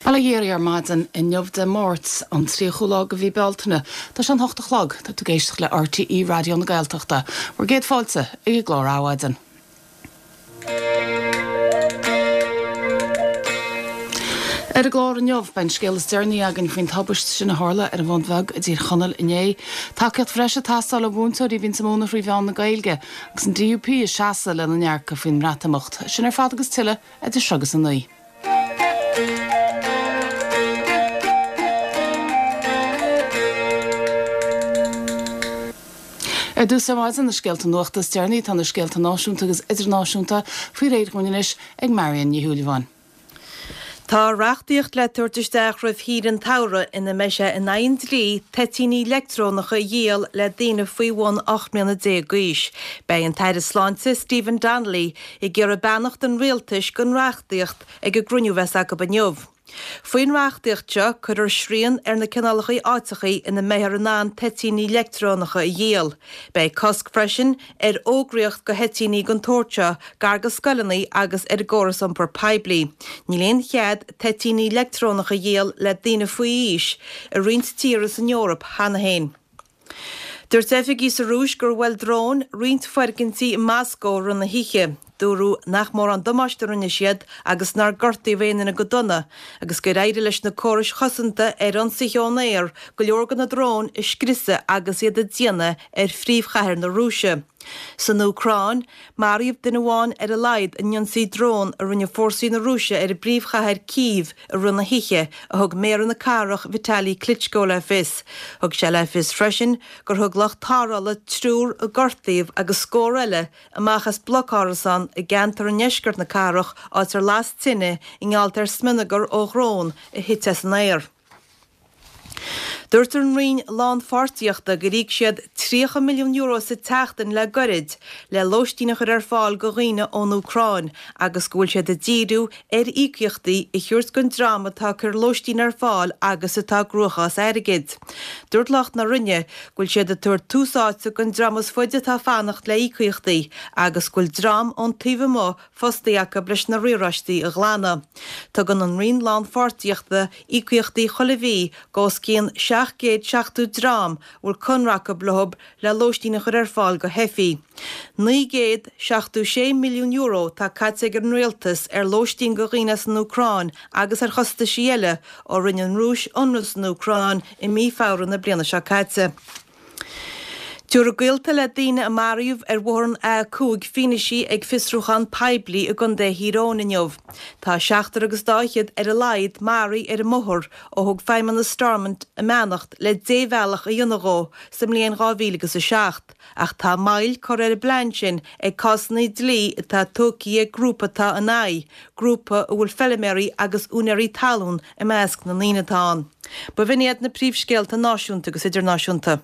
Bail ó Dhia oraibh ar maidin inniu Dé Máirt, an 30ú lá de mhí Bealtaine. Tá sé an hocht a chlog. Tá tú ag éisteacht le RTÉ Raidió na Gaeltachta. Bhur gcéad fáilte ag an gclár Adhmhaidin. Ar an gclár inniu, beidh an scéal is deireanaí againn faoin tubaist sin a tharla ar an Bhun Bheag i dTír Chonaill inné. Tacaíocht bhreise ag teastáil ó mhúinteoirí a bhíonns ag múineadh thrí mheán na Gaeilge, agus an DUP ag seasamh lena ndearcadh faoin mBreatimeacht. Sin ar fad agus tuilleadh idir seo agus a 9. Ar dtús ar maidin, na scéalta nuachta is deireanaí, tá na scéalta náisiúnta agus idirnáisiúnta faoi réir dhúinn anois ag Marion Ní Shúilleabháin. Tá reachtaíocht le tabhairt isteach roimh shaoire an tsamhraidh ina mbeidh sé in aghaidh an dlí toitíní leictreonacha a dhíol le daoine faoi bhun 18 mbliana d'aois. Beidh an tAire Sláinte, Stephen Donnelly, ag iarraidh beannacht an Rialtais don reachtaíocht ag an gcruinniú a bheas acu inniu. Faoin reachtaíocht seo, cuirfear srian ar na cineálacha áiteachaí ina mbeifear in ann toitíní leictreonacha a dhíol. Beidh cosc freisin ar fhógraíocht do thoitíní den tsórt seo gar do scoileanna agus ar an gcóras iompair poiblí. Níl aon chead toitíní leictreonacha a dhíol le daoine faoi aois i roinnt tíortha san Eoraip cheana féin. Dúirt oifigigh sa Rúis gur bhuail dróin roinnt foirgintí i Moscó i rith na hoíche. Dúradh nach mórán damáiste a rinne siad agus nár gortaíodh aon duine go dona, agus gur éirigh leis na córais chosanta ar ionsaithe ón aer go leor de na dróin a scriosadh agus iad ag déanamh ar phríomhchathair na Rúise. San Úcráin, maraíodh duine amháin ar a laghad in ionsaí drón a rinne fórsaí na Rúise ar an bpríomhchathair Cív i rith na hoíche, a thug méara na cathrach Vitali Klitschko le fios. Thug sé le fios freisin gur thug lucht tarrthála triúr a gortaíodh agus scór eile amach as bloc árasán i gceantar i ndeisceart na cathrach áit ar las tine i ngeall ar smionagar ó dhrón a thit as an aer. Dúirt an Roinn Lánpháirtíochta gur íoc siad €30 milliún sa tseachtain le goirid le lóistín a chur ar fáil do dhaoine ón Úcráin agus go bhfuil siad ag díriú ar íocaíochtaí a thabhairt don dream atá ag cur lóistín ar fáil agus atá i gcruachás airgid. Dúirt lucht na Roinne go bhfuil siad ag tabhairt tús áite don dream is faide atá ag fanacht le íocaíochtaí agus go bhfuil dream ón taobh amuigh fostaithe acu leis na riaráistí a ghlanadh. Tugann an Roinn Lánpháirtíochta íocaíochtaí chuile mhí d'os cionn 770 dream a bhfuil conradh acu leo le lóistín a chur ar fáil do theifigh. €976 milliún atá caite ag an Rialtas ar lóistín do dhaoine as an Úcráin agus ar chostaisí eile ó rinne an Rúis ionradh san Úcráin i mí Feabhra na bliana seo caite. Tabharfaidh gaolta le daoine a maraíodh ar bhóthar an A5 fianaise ag fiosrúchán poiblí i gContae Thír Eoghain inniu. Tá seachtar agus dá fhichead ar a laghad maraithe ar an mbóthar ó thug Feidhmeannas Stormont a mbeannacht le débhealach a dhéanamh dhó sa mbliain 2000 agus 7 ach tá moill curtha ar an bplean sin ag cásanna dlí atá tógtha ag grúpa atá ina aghaidh, grúpa a bhfuil feilméaraí agus úinéirí talún i measc na ndaoine atá ann. B'in iad na príomhscéalta náisiúnta agus idirnáisiúnta.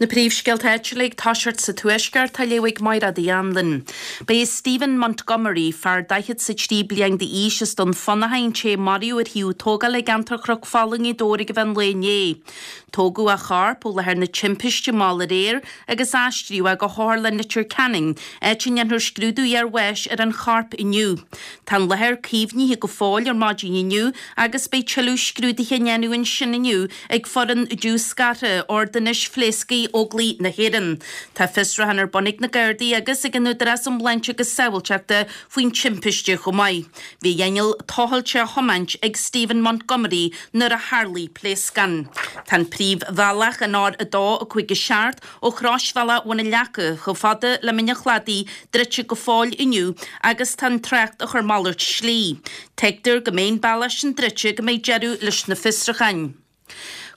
Na príomhscéalta áitiúla ag toiseacht sa Tuaisceart á léamh ag Mairéad Uí Anluain. Ba é Stephen Montgomery, fear 43 bliain d'aois as Dún Fionnachaidh an té a maraíodh ar shuíomh tógála i gceantar Chnoc Fola i nGaoth Dobhair ag an mheán lae inné. Tógadh a chorp ó láthair na timpiste mall aréir agus aistríodh é go hOtharlann Leitir Ceanainn, áit a ndéanfar scrúdú iarbháis ar an chorp inniu. Tá an láthair caomhnaithe go fóill ar maidin inniu agus beidh tuilleadh scrúduithe á ndéanamh ansin inniu ag foireann diúscartha Ordanáis Phléascaigh Óglaigh na hÉireann. Tá fiosrúchán ar bun ag na Gardaí agus ag an Údarás um Shláinte agus Sábháilteachta faoin timpiste chomh maith. Bhí a inneall tochailte á thiomáint ag Stephen Montgomery nuair a tharlaigh pléascán. Tá an príomhbhealach, an R2 5 7, Ó Chroisbhealach Bhun an Leaca chomh fada le Mín an Chladaigh druidte go fóill inniu agus tá an trácht ag cur malairt slí. Tuigtear go mbeidh an bealach sin druidte go mbeidh deireadh leis na fiosrúcháin.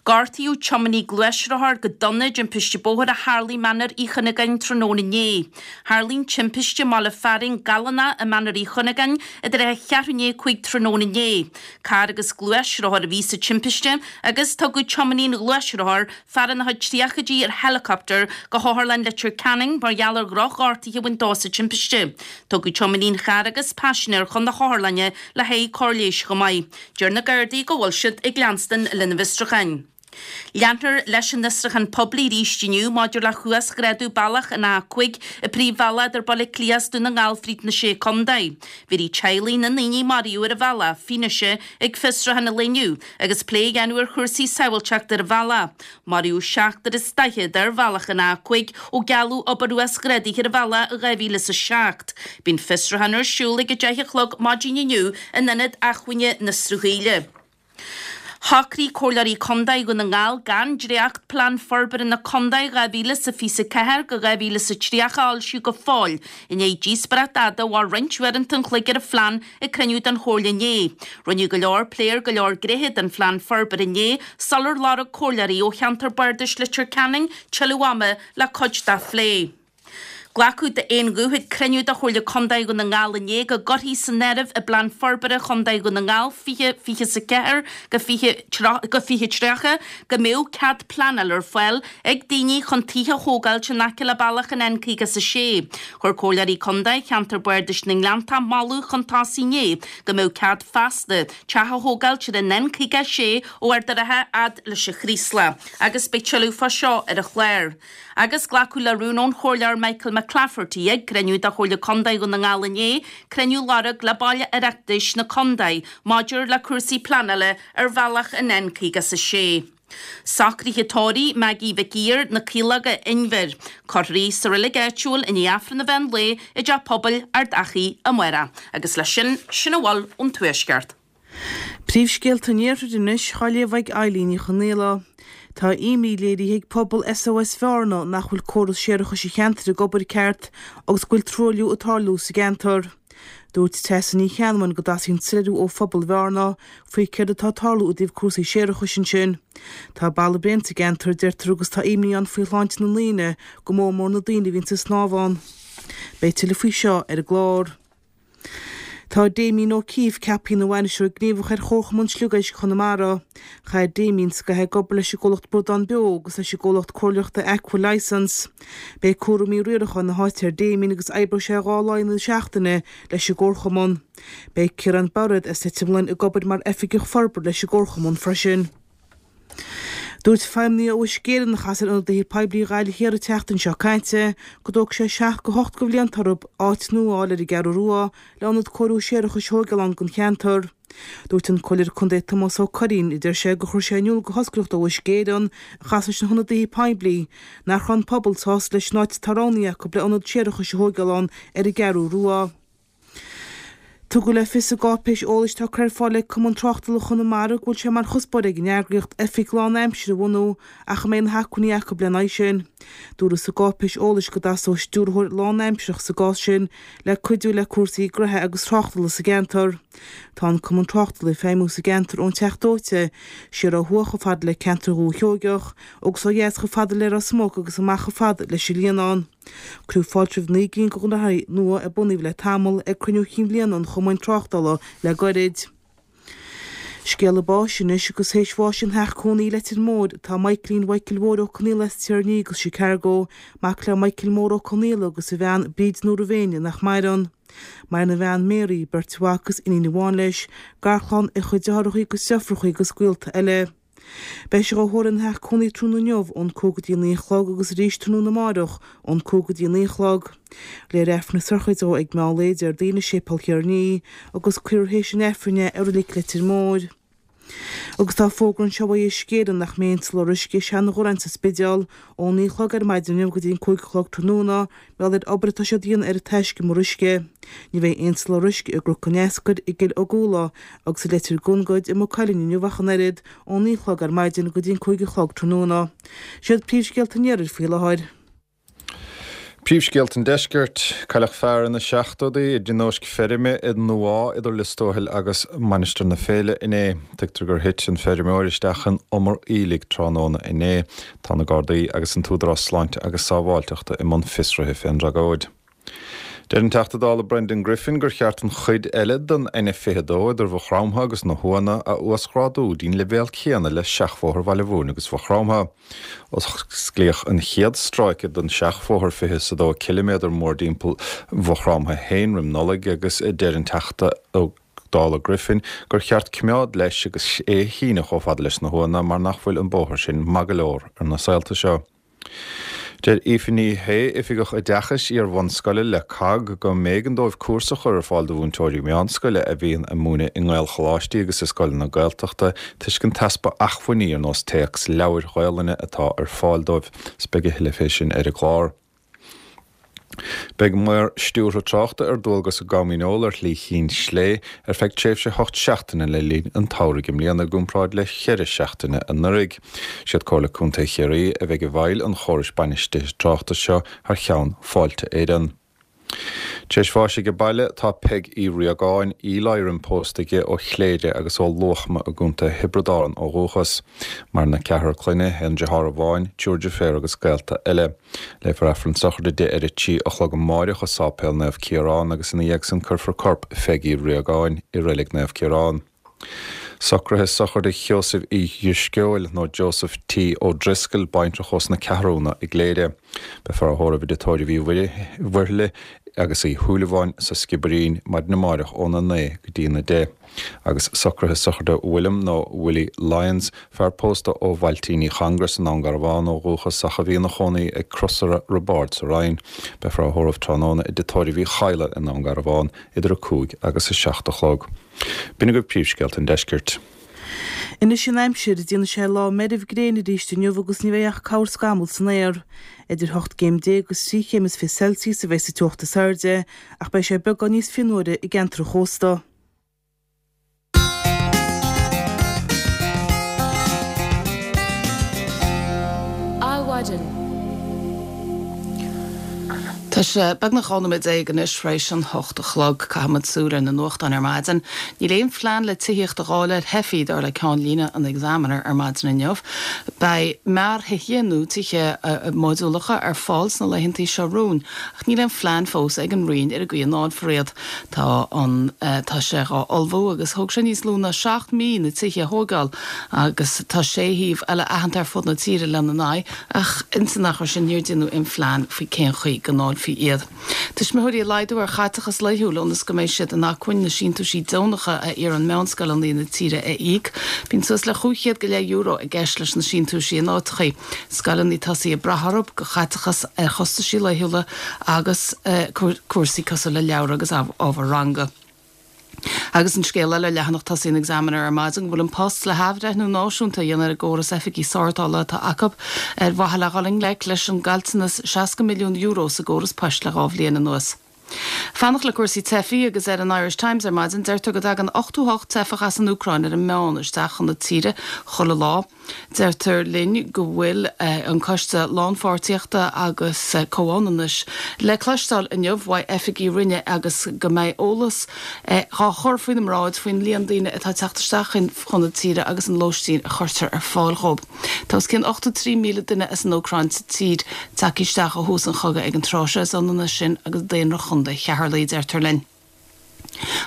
Gortaíodh tiománaí gluaisrothair go dona i dtimpiste bóthair a tharlaigh i Mainéar Uí Chuinneagáin tráthnóna inné. Tharlaigh an timpiste i mbaile fearainn Gallánach i Mainéar Uí Chuinneagáin idir a cheathrú i ndiaidh 5 tráthnóna inné. Carr agus gluaisrothar a bhí sa timpiste agus tugadh tiománaí an ghluaisrothair Fear ina chuid tríochaidí ar helicopter go hOtharlann Leitir Ceanainn mar gheall ar dhroch-ghortuithe a bhain dó sa timpiste. Tugadh tiománaí an chairr agus paisinéir chun na hotharlainne le haghaidh cóir leighis chomh maith. Deir na Gardaí go bhfuil siad ag leanstan lena bhfiosrúcháin. Leanfar leis an fhiosrúchán poiblí arís inniu maidir le huasghrádú bealach an A5, an príomhbhealach idir Baile Átha Cliath is Dún na nGall fríd na Sé Contae. Bhéarfaidh teaghlaigh na ndaoine a maraíodh ar an bhealach fianaise ag fiosrúchán an lae inniu agus plé a dhéanamh ar chúrsaí sábháilteachta ar an bhealach. Maraíodh seachtar is daichead ar bhealach an A5 ó gealladh obair uasghrádaithe ar an bhealach i 2007. Beidh an fiosrúchán ar siúl ag a deich a chlog maidin inniu in Ionad Acmhainne na Sruthaíle. Shocraigh Comhairleoirí Contae Dhún na nGall gan dréacht Plean Forbartha na Contae 2024-2030 a fhoilsiú go fóill, i ndiaidh díospóireacht fhada a mhair roinnt uaireanta an chloig ar an phlean ag cruinniú den Chomhairle inné. Rinneadh go leor plé ar go leor gnéithe den phlean forbartha inné sular lorg comhairleoirí ó cheantar bardais Leitir Ceanainn tuilleadh ama le cuid de a phlé. Glacadh d'aon ghuth ag cruinniú de Chomhairle Contae Dhún na nGall inné go gcuirfí san áireamh i bPlean Forbartha Chontae Dhún na Ngall 2024-2030 go mbeadh cead pleanála ar fáil ag daoine chun tithe a thógáilt in aice le bealach an N56. Chuir Comhairleoirí Contae Cheantar Bardais na nGleanntach moladh chun tosaigh inné go mbeadh cead feasta teach a thógáilt ar an N56 ó Ard an Rátha fhad leis an Chraoslach agus beidh tuilleadh fá seo ar an chlár. Agus glacadh le rún ón Chomhairleoir Michael McClafferty ag cruinniú de Chomhairle Contae Dhún na nGall inné, cruinniú a lorg le baill Oireachtais na Contae maidir le cúrsaí pleanála ar bhealach an N56. Socruithe tórraimh Maggie Mhic Uidhir, Na Caológa, Inbhir. Cuirfear í sa reilig áitiúil i ndiaidh Aifreann an mheán lae i dTeach Pobail Ard Achaidh amárach. Agus leis sin, sin a bhfuil ón Tuaisceart. Príomhscéalta an Iarthair anois á léamh ag Eilín Ní Chonaola. Tá imní léirithe ag pobal SOS Bhearna nach bhfuil córas séarachais an cheantair ag obair ceart agus go bhfuil truailliú ag tarlú sa gceantar. Dúirt Treasa Ní Cheannabháin go dteastaíonn soiléiriú ó phobal Bhearna faoi céard atá ag tarlú i dtaobh cúrsaí séarachais ansin. Tá balla bréan sa gceantar, deirtear agus tá imní ann faoi shláinte na ndaoine, go mór mór na daoine a bhíonns ag snámh ann. Beidh tuilleadh faoi seo ar an gclár. Tá Damien O'Keeffe ceaptha ina bhainisteoir gníomhach ar Chomharchumann Sliogéisc Chonamara. Chaith Damien scaitheamh ag obair leis an gcomhlacht Bradán Beo agus leis an gcomhlacht comhairleoireachta Aqua Licence. Beidh cúraimí riaracháin na háite ar Damien agus oibreoidh sé 2 lá in aghaidh na seachtaine leis an gcomharchumann. Beidh Ciarán Bairéad as Leitir Mealláin ag obair mar Oifigeach Forbartha leis an gcomharchumann freisin. Dúirt feidhmeannaigh ó Uisce Éireann a chas ar ionadaithe poiblí Ghaillimh Thiar an tseachtain seo caite go dtógfaidh sé 7 go 8 de bhlianta orthu áit nua a fháil ar an gCeathrú Rua le ionad cóiriú séarachais a thóigeáil ann don cheantar. Dúirt an Comhairleoir Contae Tomás Ó Curraoin, a deir sé, gur chuir sé in iúl go hoscailte do Uisce Éireann a chas leis na hionadaithe poiblí nach raibh an pobal sásta leis an áit atá roghnaithe acu le ionad séarachais a thóigeáil ann ar an gCeathrú Rua. Tugadh le fios i gcáipéis eolais atá curtha ar fáil ag Cumann Tráchtála Chonamara go bhfuil sé mar chuspóir ag an eagraíocht oifig lán-aimsire a bhunú ach an mbeidh na hacmhainní acu lena aghaidh sin. Dúradh sa gcáipéis eolais go dteastódh stiúrthóir lán-aimsearach sa gcás sin le cuidiú le cúrsaí gnoithe agus tráchtála sa gceantar. Tá an Cumann Tráchtála ag feidhmiú sa gceantar ón Teach Dóite siar ó thuaidh chomh fada le ceantar Dhúiche Sheoigeach agus ó dheas chomh fada le Ros Muc agus amach chomh fada leis an Líonán. Cuireadh fáilte roimh 9 gcinn de ghnóthaí nua a bunaíodh le tamall ag cruinniú chinn bhliana an Chumainn Tráchtála le goirid. Scéala báis anois agus théis bháis ina theach cónaí i Leitir Móir tá Michaelín Mhichael Mhóir Ó Conaola as Tír an Fhia agus Chicago, mac le Michael Mór Ó Conaola agus a bhean Bríd Nóra Mhéine nach maireann. Maireann a bhean Mary, beirt mhac agus iníon amháin leis, garchlann, a chuid deartháireacha agus deirfiúracha agus gaolta eile. Beidh sé dhá thórramh ina theach cónaí tráthnóna inniu ón 5 go dtí a 9 a chlog agus arís tráthnóna amáireach ón 5 go dtí a 9 a chlog. Léifear Aifreann na sochraide dó ag meán lae Déardaoin i Séipéal Thír an Fhia agus cuirfear théis an Aifrinn é i Reilig Leitir Móir. Agus tá fógra anseo ó Uisce Éireann nach mbeidh aon soláthar uisce i Seanadh Dhúráin sa Spidéal ón 9 a chlog ar maidin inniu go dtí an 5 a chlog tráthnóna mar gheall ar obair atá siad a dhéanamh ar an taiscumar uisce. Ní bheidh aon soláthar uisce i gCnoc an Eascair, i gCill Ogúla agus i Leitir Gongaid, i Maigh Cuilinn inniu ach an oiread, ón 9 a chlog ar maidin go dtí an 5 a chlog tráthnóna. Siad príomhscéalta an iarthair faoi láthair. Príomhscéalta an Deiscirt, Cailleadh fear ina sheachtóidí i dtionóisc feirme i nDumhá idir Lios Tuathail agus Mainistir na Féile inné. Tuigtear gur thit an feirmeoir isteach in umar aoiligh tráthnóna inné. Tá na Gardaí agus an tÚdarás Sláinte agus Sábháilteachta i mbun fiosraithe fén dtragóid. Deir an Teachta Dála Brendan Griffin gur cheart an chuid eile den N22 idir Mhaigh Chromtha agus na hUanna a uasghrádú dtí'n leibhéal céanna le seachbhóthar Bhaile Mhúirne agus Mhaigh Chromtha. Osclaíodh an chéad stráice den seachbhóthar 22 ciliméadar mórdtimpeall Mhaigh Chromtha féin roim Nollaig agus deir an Teachta Ó. Dála Griffin, gur cheart coimeád leis agus é a shíneadh chomh fada leis na hUaimheanna mar nach bhfuil an bóthar sin maith go leor ar na saolta seo. Deir Aoife Ní Shé, Oifigeach Oideachais Iar-bhunscoile le cogg, go mb'éigean dóibh cúrsa a chur ar fáil do mhúinteoirí meánscoile a bhíonn ag múineadh i nGaelcholáistí agus i scoileanna Gaeltachta toisc an t-easpa acmhainní ar nós téacs leabhair Ghaolainne atá ar fáil dóibh. 'S beidh a thuilleadh fé sin ar an gclár. Beidh maor stiúrtha tráchta ar dualgas i gCom Dhíneol ar Shlí Chinn Slé ar feadh tréimhse 8 seachtaine le linn an tsamhraidh i mbliana i gcomparáid le ceithre seachtaine anuraidh. Siad Comhairle Contae Chiarraí a bheidh i bhfeighil an chórais bainistithe tráchta seo thar cheann Fáilte Éireann. Tar éis bháis age baile tá Peig Uí Riagáin, Eli pósta aige ó Chléire agus ó Luachma i gContae Thiobraid Árann ó dhúchas. Maireann a ceathrar clainne, aon deartháir amháin, triúr deirféar agus gaolta eile. Léifear Aifreann sochraide di ar a 3 a chlog amáireach i Sáipéal Naomh Ciarán agus ina dhiaidh san cuirfear corp Pheig Uí Riagáin i Reilig Naomh Ciarán. Socruithe sochraide Sheosaimh Uí Dhrisceoil, nó Joseph T. O'Driscoll, baintreach ós na Ceathrúna i gCléire. Beifear á thórramh i dtigh tórraimh Uí Mhuirthile agus Uí Shúilleabháin sa Sciobairín maidin amáireach óna 9 go dtí na 10. Agus socruithe sochraide William nó Willie Lyons, fear pósta ó Bhailtín Uí Chongra sa nDún Garbhán ó dhúchas ach a bhí ina chónaí ag Crosaire Roibeaird sa Rinn. Beifear á thórramh tráthnóna i dtigh tórraimh Uí Chadhla i nDún Garbhán idir 5 agus 7 a chlog. B'in agaibh príomhscéalta an deiscirt. Anois an aimsir, déanfaidh sé lá meirbh gréine arís inniu agus ní bheidh ach corrscamall san aer. Idir hocht gcéim déag agus thrí chéim is fiche Celsius a bheidh sa teocht is airde, ach beidh sé beagán níos fionnuaire i gceantar an chósta. Adhmhaidin. Tá sé beagnach 12 nóiméad anois tar éis an hocht a chlog. Caithfimid súil ar na nuachtáin ar maidin. Níl aon phlean le tithíocht a dháileadh ar theifigh, dar le ceannlíne an Examiner ar maidin inniu. Beidh mearthithe nó tithe modúlacha ar fáil sna laethantaí seo romhainn, ach níl aon phlean fós ag an Roinn ar an gcaoi a ndáilfear iad. Tá an tá sé dhá ullmhú agus thóg sé níos lú ná 7 mí na tithe a thóigeáil agus tá sé shuíomh eile aitheanta ar fud na tíre lena n-aghaidh ach ins an achar sin níor déanadh aon phlean faoi cén chaoi go ndáilfí iad. Tuismitheoirí ag laghdú ar chaiteachas laethúil ionas go mbeidh siad in acmhainn na síntiúisí deonacha a iarrann meánscoileanna na tíre a íoc. Bíonn suas le chúig chéad go leith euro i gceist leis na síntiúisí in áiteachaí. Scoileanna tosaithe ag brath orthu do chaiteachas ar chostaisí laethúla agus cúrsaí cosúil le leabhra agus ábhar ranga. Agus an scéal eile ar leathanach tosaigh an Examiner ar maidin go bhfuil An Post le hathbhreithniú náisiúnta a dhéanamh ar an gcóras oifigí sórtála atá acu ar mhaithe le dhul i ngleic leis an gcaillteanas €60 milliún sa gcóras poist le dhá bhliain anuas. Fanacht le cúrsaí teifigh agus ar an Irish Times ar maidin deirtear go dtagann 88 teifeach as an Úcráin ar an meán isteach chun na tíre chuile lá. Deirtear linn go bhfuil an Coiste Lánpháirtíochta agus Comhionannais le cloisteáil inniu uaidh oifigigh Roinne agus go mbeidh eolas dhá chur faoina mbráid faoin líon daoine atá ag teacht isteach chun na tíre agus an lóistín a chuirtear ar fáil dhóibh. Tá os cionn 83,000 duine as an Úcráin sa tír, tagtha isteach ó thús an chogaidh ag an tráth seo. Is ionann é sin agus daonra Chontae Cheatharlaigh, deirtear linn.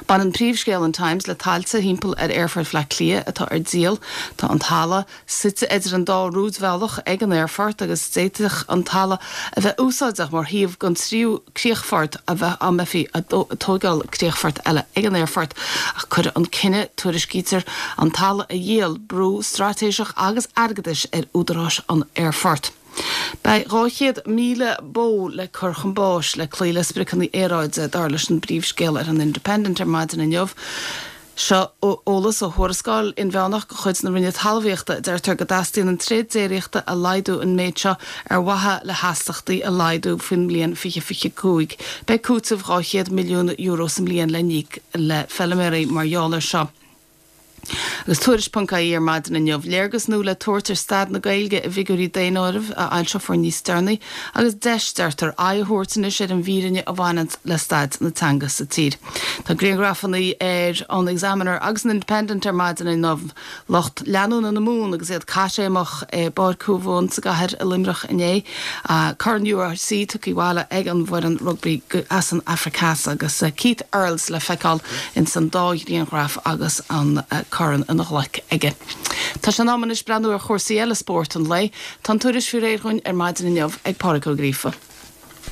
Baineann príomhscéal an Times le tailte thimpeall ar Aerfort Bhaile Átha Cliath atá ar díol. Tá an talamh suite idir an dá rúidbhealach ag an aerfort agus d'fhéadfadh an talamh a bheith úsáideach mar shuíomh don tríú críochfort a bheith dá mbeifí ag tóigeáil críochfort eile ag an aerfort ach cuirfidh an cinneadh, tuairiscítear, an talamh a dhíol, brú straitéiseach agus airgeadais ar údaráis an aerfoirt. Beidh 200,000 bó le cur chun báis le cloí le spriocanna aeráide, dar leis an bpríomhscéal ar an Independent ar maidin inniu. Seo eolas ó thuarascáil inmheánach de chuid na Roinne Talmhaíochta a deirtear go dteastaíonn an tréad déiríochta a laghdú an méid seo ar mhaithe le hastachtaí a laghdú faoin mbliain 2025. Beidh cúiteamh €200 milliún sa mbliain le n-íoc le feilméaraí mar gheall air seo. Agus Tuairisc.ie ar maidin inniu, léargas nua le tabhairt ar staid na Gaeilge i bhfigiúirí daonáirimh a fhoilseofar níos deireanaí agus deis, deirtear, aghaidh a thabhairt anois ar an bhfírinne a bhaineanns le staid na teanga sa tír. Tá grianghrafanna ar an Examiner agus an Independent ar maidin inniu, lucht leanúna na Mumhan agus iad caithréimeach i bPáirc Thuamhumhan sa gcathair i Luimneach inné. Corn URC tugtha abhaile ag an bhfoireann rugbaí as an Afraic Theas agus Keith Earls le feiceáil ins an dá ghrianghraf agus an corn ina ghlaic aige. Tá sé in am anois breathnú ar chúrsaí eile spóirt an lae. Tá an tuairisc faoi réir dhúinn ar maidin inniu ag Pádraig Ó Gríofa.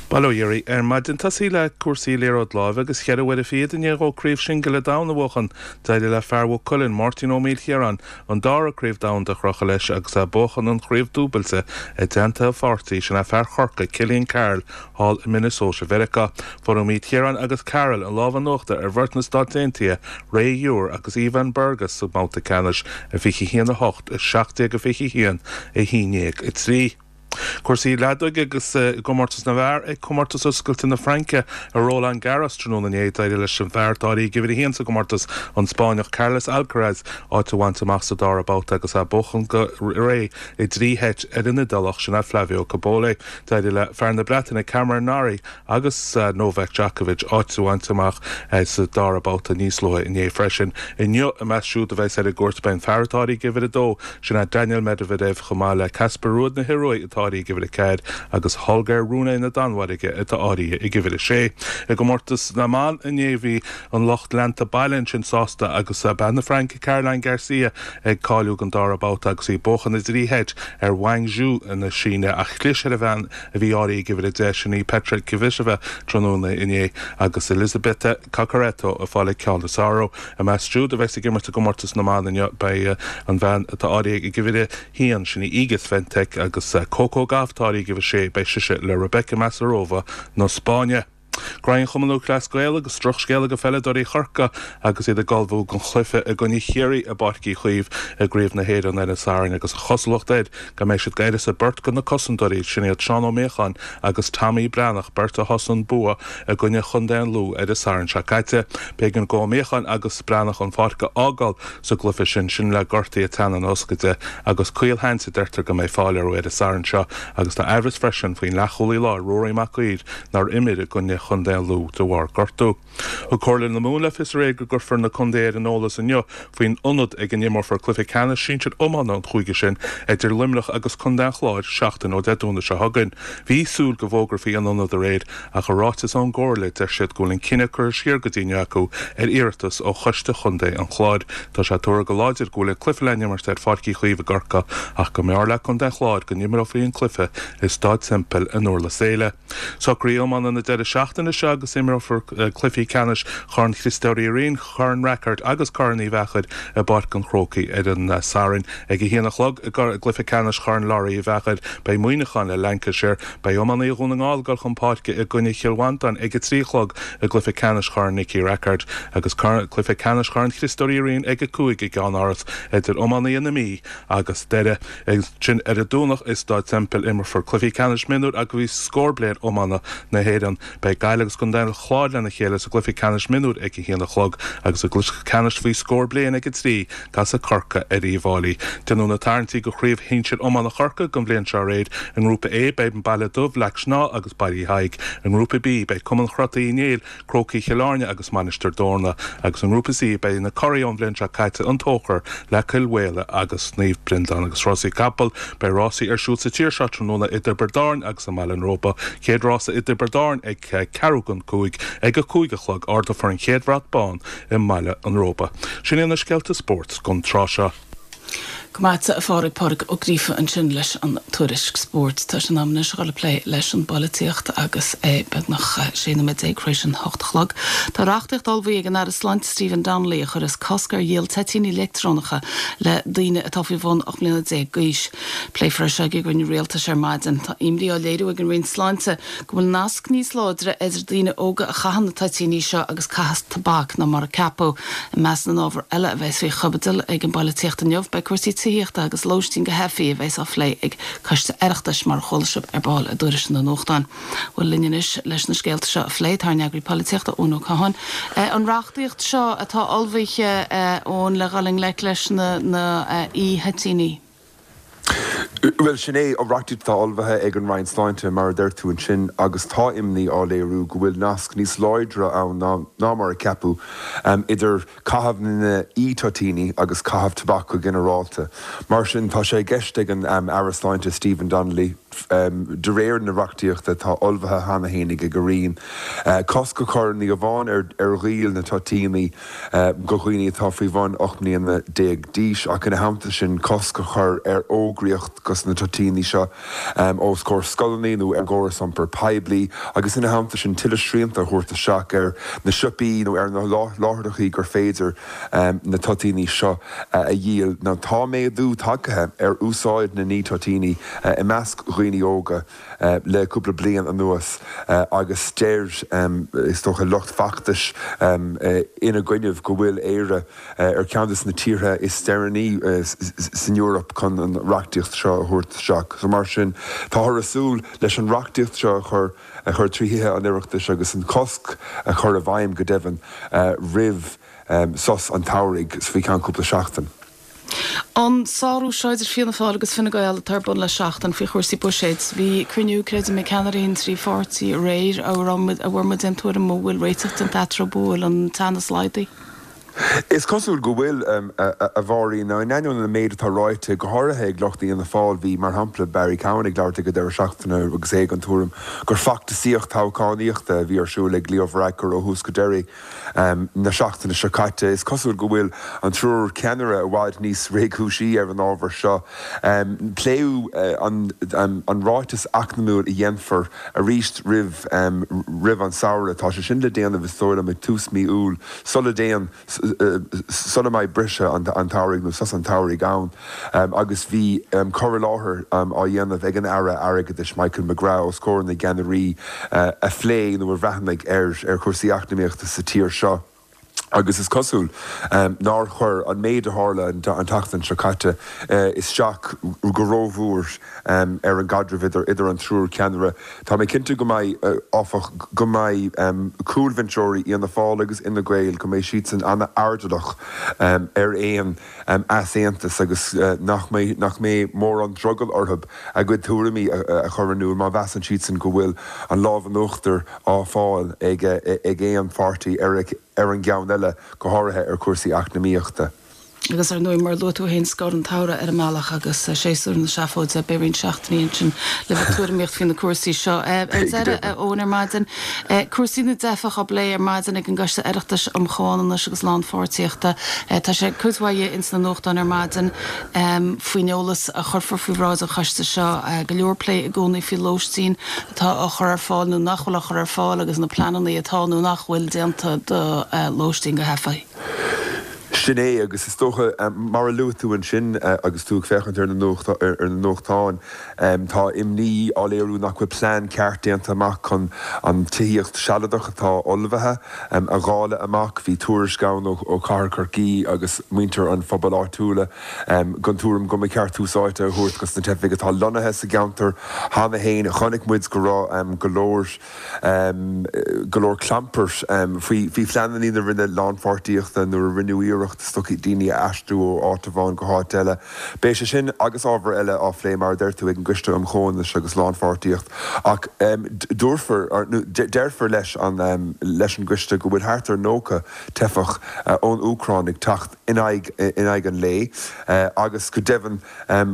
Bail ó Dhia oraibh ar maidin. Tosaí le cúrsaí liathróid láimhe agus cheithre huaire fichead i ndiaidh dhó craobh singile domhan a bhuachan, d'éirigh le fear Mhaigh Cuilinn, Máirtín Ó Maoilchiaráin, an dara craobh domhanda a chrochadh leis agus é ag buachan an chraobh dúbailte i dteannta a pháirtí, sin é fear Chorcaí, Cillian Carroll, thall i Minnesota Mheiriceá. Fuair Ó Maoilchiaráin agus Carroll an lámh in uachtar ar bheirt na Stát Aontaithe, Ray Ewers agus Ivan Burgos sa mbabhta ceannais, 21 8, 17 21, 11 3. Cúrsaí leadóige agus i gcomórtas na bhfear ag Comórtas Oscailte na Fraince i Roland Garros tráthnóna inné, d'éirigh leis an bhfear atá áirithe ag uimhir a haon sa gcomórtas, an Spáinneach Carlos Alcaraz, áit a bhaint amach sa dara babhta agus é ag buachan go réidh i dtrí sheit ar an Iodálach, sin é Flavio Cobolli. D'éirigh le fear na Breataine Cameron Norrie agus Novak Djokovic áit a bhaint amach sa dara babhta níos luaithe inné freisin. Inniu, i measc siúd a bheas ar an gcúirt beidh an fear atá áirithe ag uimhir a dó, sin é Daniil Medvedev, chomh maith le Casper Ruud na hIorua atá áirithe ag uimhir a ceathair agus Holger Rune na Danmhairge atá áirithe ag uimhir a sé. I gcomórtas na mban inné bhí an lucht leanta baile ansin sásta agus bean na Fraince Caroline Garcia ag cáiliú don dara babhta agus í ag buachan i dtrí sheit ar Wang Zhu na Síne ach chlis ar an bhean a bhí áirithe ag uimhir 10, sin í Petra Kvitova, tráthnóna inné agus Elisabetta Cocciaretto ag fáil an ceann is fearr uirthi. I measc siúd a bheas ag imirt i gcomórtas na mban inniu beidh an bhean atá áirithe ag uimhir 1, sin í Iga Swiatek, agus Coco Gauff atá áirithe ag uimhir 6, beidh sise le Rebeka Masarova na Spáinne. Graí an Chumann Lúthchleas Gael agus drochscéala do pheileadóirí Chorcaí agus iad ag ullmhú don chluiche i gcoinne Chiarraí i bPáirc Uí Chaoimh i gCraobh na hÉireann ar an Satharn agus an chosúlacht air go mbeidh siad d'uireasa beirt de na cosantóirí, sin iad Seán Ó Míocháin agus Tommy Breathnach, beirt a thosaigh an bua i gcoinne chontae an Lú ar an Satharn seo caite. B'éigean d'Ó Míocháin agus Breathnach an pháirc a fhágáil sa gcluiche sin, sin le gortuithe teannán ioscaide agus caolsheans a deirtear go mbeidh fáil orthu ar an Satharn seo agus tá aimhreas freisin faoin leathchúlaí láir Ruairí Mac Uidhir nár imir i gcoinne chontae an Lú de bharr gortú. Thug Comhairle na Mumhan le fios aréir go gcuirfear na contaetha ar an eolas inniu faoin ionad ag a n-imreofar cluiche ceannais sinsir iomána an chúige sin idir Luimneach agus contae an Chláir seachtain ó Dé Domhnaigh seo chugainn. Bhí súil go bhfógrófaí an ionad aréir ach i ráiteas ón gComhairle deir siad go bhfuil an cinneadh curtha siar go dtí inniu acu ar iarratas ó choiste chontae an Chláir. Tá sé tuartha go láidir go bhfuil an cluiche le n-imirt ar Pháirc Uí Chaoimh i gCorcaigh ach go mb'fhearr le contae an Chláir go n-imreofaí an cluiche i Staid Semple in Durlas Éile. Socruithe iomána na deireadh seachtaine seo agus imreofar cluichí ceannais Chorn Chriostóir Uí Rinn, Chorn Rackard agus Corn Uí Mheachair i bPáirc an Chrócaigh ar an Satharn. Ag a haon a chlog i gcluiche ceannais Chorn Laurie Uí Mheachair beidh Muineachán le Lancashire. Beidh iománaithe Dhún na nGall ag dul chun páirce i gcoinne Chill Mhantáin ag a 3 a chlog i gcluiche ceannais Chorn Nicky Rackard agus cluiche ceannais Chorn Chriostóir Uí Rinn ag a 5 i gCeann-Áras idir iománaithe na Mí agus Doire. Ansin ar an Domhnach i Staid Semple imreofar cluichí ceannais mionúir agus faoi scór bliain iomána na hÉireann. Beidh Gaillimh agus Contae an Chláir lena chéile sa gcluiche ceannais mionúir ag a haon a chlog agus i gcluiche ceannais faoi scór bliain ag a 3, casfaidh Corcaigh ar Uíbh Fháilí. Déanadh na tarraingtí do Chraobh Shinsir Iomána Chorcaí don bhliain seo aréir. I nGrúpa A beidh an Baile Dubh, Leac Snámha agus Baile Uí Thaidhg. I nGrúpa B beidh Cumann Chrota Uí Néill, Crócaigh Chill Airne agus Mainistir Dórna, agus i nGrúpa C beidh na curaidh ón bhliain seo caite, An Tóchar, le Cill Mhaola agus Naomh Breandán agus rásaí capall. Beidh rásaí ar siúl sa tír seo tráthnóna i dTiobraid Árann agus i mBaile an Róba. Chéad rása i dTiobraid Árann ag ceathrú don cúig. Ag a cúig a chlog ardófar an chéad bhrat bán i mBaile an Róba. Sin iad na scéalta spóirt don tráth seo. Go maith a Phádraig, Pádraig Ó Gríofa ansin leis an tuairisc spóirt. Tá sé in am anois a dhul ag plé leis an bpolaitíocht agus é beagnach 16 nóiméad tar éis an hocht a chlog. Tá reachtaíocht ullmhaithe ag an Aire Sláinte Stephen Donnelly a chuirfeas cosc ar dhíol toitíní leictreonacha le daoine atá faoi bhun 18 mbliana d'aois. Pléifear é seo ag an gcruinniú rialtais ar maidin. Tá imní á léiriú ag an Roinn Sláinte go bhfuil nasc níos láidre idir daoine óga a chaitheann na toitíní seo agus caitheamh tobac ná mar a ceapadh. I measc na n-ábhar eile a bheas faoi chaibidil ag an bpolaitíocht inniu, beidh cúrsaí tithíochta agus lóistín do theifigh a bheas á phlé ag Coiste Oireachtais, mar a chuala sibh ar ball i dtuairisc na nuachtán. Bhuel, linn anois leis na scéalta seo a phlé, tá ár n-eagraí polaitíochta, Eoin Ó Catháin. An reachtaíocht seo atá ullmhaithe, Eoin, le dhul i ngleic leis na e-thoitíní. Bhuel, sin é an reachtaíocht atá ullmhaithe ag an Roinn Sláinte, mar a deir tú ansin, agus tá imní á léiriú go bhfuil nasc níos láidre ann ná mar a ceapadh idir caitheamh na n-e-toitíní agus caitheamh tobac go ginearálta. Mar sin, tá sé i gceist ag an Aire Sláinte Stephen Donnelly. De réir na reachtaíochta atá ullmhaithe cheana féin ag an Roinn, cosc a chur ní amháin ar dhíol na toitíní go dhaoine atá faoi bhun 18 mbliana d'aois ach ina theannta sin cosc a chur ar fhógraíocht dos na toitíní seo os comhair scoileanna nó ar an gcóras iompair poiblí agus ina theannta sin tuilleadh srianta a thabhairt isteach ar na siopaí nó ar na láithreachaí gur féidir na toitíní seo a dhíol. Now tá méadú tagtha ar úsáid na n-e-toitíní i measc dhaoine óga le cúpla bliain anuas agus deir, is dócha, lucht feachtais ina gcoinnibh go bhfuil Éire ar cheann de na tíortha is deireanaí san Eoraip chun an reachtaíocht seo a thabhairt isteach. So mar sin, táthar ag súil leis an reachtaíocht seo a chur a chur trí Thithe an Oireachtais agus an cosc a chur i bhfeidhm go deimhin roimh sos an tsamhraidh, faoi cheann cúpla seachtain. An sárú seo idir Fianna Fáil agus Fine Gael atá ar bun le seachtain faoi chúrsaí buiséid. Bhí cruinniú, creidim, ag ceannairí an trí pháirtí aréir. An bhfuair muid aon tuairim an bhfuil réiteach déanta eatarthu, an bhfuil an teannas laghdaithe? Is cosúil go bhfuil, a Mháirín. Now, in ainneoin an méid atá ráite, go háirithe ag lucht Fhianna Fáil, bhí, mar shampla, Barry Cowen ag labhairt ag an deireadh seachtaine agus é den tuairim gur feachtasaíocht toghchánaíochta a bhí ar siúl ag Leo Varadkar ó thús go deireadh na seachtaine seo caite. Is cosúil go bhfuil an triúr ceannaire i bhfad níos réchúisí ar an ábhar seo. Pléadh an ráiteas eacnamúil a dhéanfar arís roimh roimh an samhradh. Tá sé sin le déanamh, is dóigh liom, ag tús mí Iúil. sula dtéann, sula mbeidh briseadh an tsamhraidh nó sos an tsamhraidh ann agus bhí cur i láthair á dhéanamh ag an Aire Airgeadais Michael McGrath os comhair na gceannairí a phléigh nó a bhreathnaigh ar chúrsaí eacnamaíochta sa tír seo agus is cosúil nár chuir an méid a tharla an tseachtain seo caite isteach go rómhór ar an gcaidreamh idir idir an triúr ceannaire. Tá mé cinnte go mbeidh, áfach, go mbeidh cúlbhinseoirí Fhianna Fáil agus Fhine Gael, go mbeidh siadsan an-airdeallach ar aon easaontas agus nach mbeidh nach mbeidh mórán drogall orthu a gcuid tuairimí a chur in iúl má mheasann siadsan go bhfuil an lámh in uachtar á fáil ag ag aon pháirtí ar ar an gceann eile, go háirithe ar chúrsaí eacnamaíochta. Agus ar ndóigh, mar a luaigh tú féin, scor an tsamhraidh ar an mbealach agus séasúr na seafóide, beidh roinnt seachtainí ansin le bheith ag tuairimíocht faoi na cúrsaí seo. Ar deireadh, a Eoin, ar maidin, cúrsaí na dteifeach á bplé ar maidin ag an gCoiste Oireachtais um Chomhionannas agus Lánpháirtíochta. Tá sé cuid mhaith ins na nuachtáin ar maidin faoin eolas a chuirfear faoi bhráid an choiste seo. Go leor plé i gcónaí faoi lóistín atá á chur ar fáil nó nach bhfuil á chur ar fáil agus na pleananna atá nó nach bhfuil déanta do lóistín do theifigh. Sin é, agus is dócha, mar a luaigh tú ansin agus tú ag féachaint ar na nuachtáin, tá imní á léiriú nach bhfuil plean ceart déanta amach chun an tithíocht sealadach atá ullmhaithe a dháileadh amach. Bhí tuairisc ann ó Chathair Chorcaí agus muintir an phobail áitiúla den tuairim go mba cheart tús áite a thabhairt dos na teifigh atá lonnaithe sa gceantar cheana féin. Chonaic muid go raibh go leor. go leor clampair faoi phleananna na Roinne Lánpháirtíochta nuair a rinneadh iarracht is dócha daoine a aistriú ó áit amháin go háit eile. Beidh sé sin agus ábhar eile á phlé, mar a deir tú, ag an gCoiste um Chomhionannas agus Lánpháirtíocht ach dúrfar, nó deirfear leis an leis an gcoiste go bhfuil thart ar 90 teifeach ón Úcráin ag teacht in aghaidh in aghaidh an lae agus go deimhin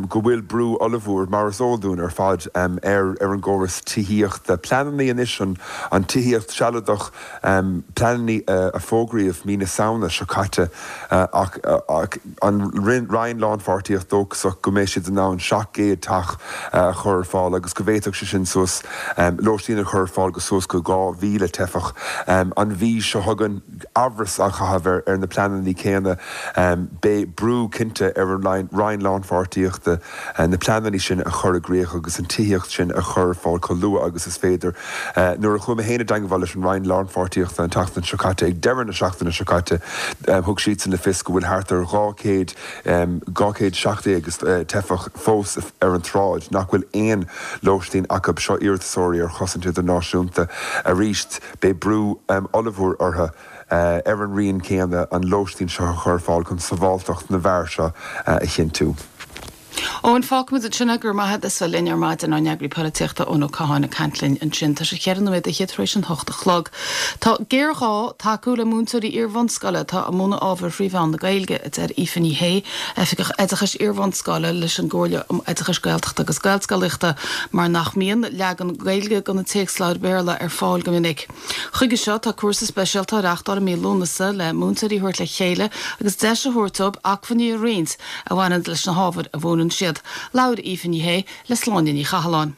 go bhfuil brú ollmhór, mar is eol dúinn ar fad, ar ar an gcóras tithíochta. Pleananna anois, an tithíocht sealadach, pleananna a fógraíodh mí na Samhna seo caite ach an Roinn Lánpháirtíocht dóchasach go mbeidh siad in ann 700 teach a chur ar fáil agus go bhféadfadh sé sin suas lóistín a chur ar fáil go suas go 2,000 teifeach an mhí seo chugainn. Amhras á chaitheamh ar na pleananna céanna. Beidh brú cinnte ar an Roinn Lánpháirtíochta na pleananna sin a chur i gcrích agus an tithíocht sin a chur ar fáil chomh luath agus is féidir. Nuair a chuaigh mé féin i dteangmháil leis an Roinn Lánpháirtíochta an tseachtain seo caite, ag deireadh na seachtaine seo caite, thug siadsan le fios go bhfuil thart ar 200, 217 teifeach fós ar an tsráid nach bhfuil aon lóistín acu. Seo iarratasóirí ar chosaint idirnáisiúnta arís. Beidh brú ollmhór orthu, ar an Roinn céanna, an lóistín seo a chur ar fáil chun sábháilteacht na bhfear seo a chinntiú. Eoin, fágfaimid ansin é, go raibh maith agat as bheith linn ar maidin, ár n-eagraí polaitíochta Eoin Ó Catháin ag caint linn ansin. Tá sé cheithre nóiméad fhichead tar éis an hocht a chlog. Tá géarghá tacú le múinteoirí iar-bhunscoile atá ag múineadh ábhair thrí mheán na Gaeilge, a deir Aoife Ní Shé, Oifigeach Oideachais Iar-bhunscoile leis an gComhairle um Oideachais Gaeltachta agus Gaelscolaíochta, mar nach mbíonn leagan Gaeilge de na téacsleabhair Bhéarla ar fáil go minic. Chuige seo, tá cúrsa speisialta á reáchtáil i mí Lúnasa le múinteoirí a thabhairt le chéile agus deis a thabhairt dóibh acmhainní a roinnt a bhaineann leis na hábhair a mhúineann siad. Labhair Aoife Ní Shé le Sláine Ní Chathalláin.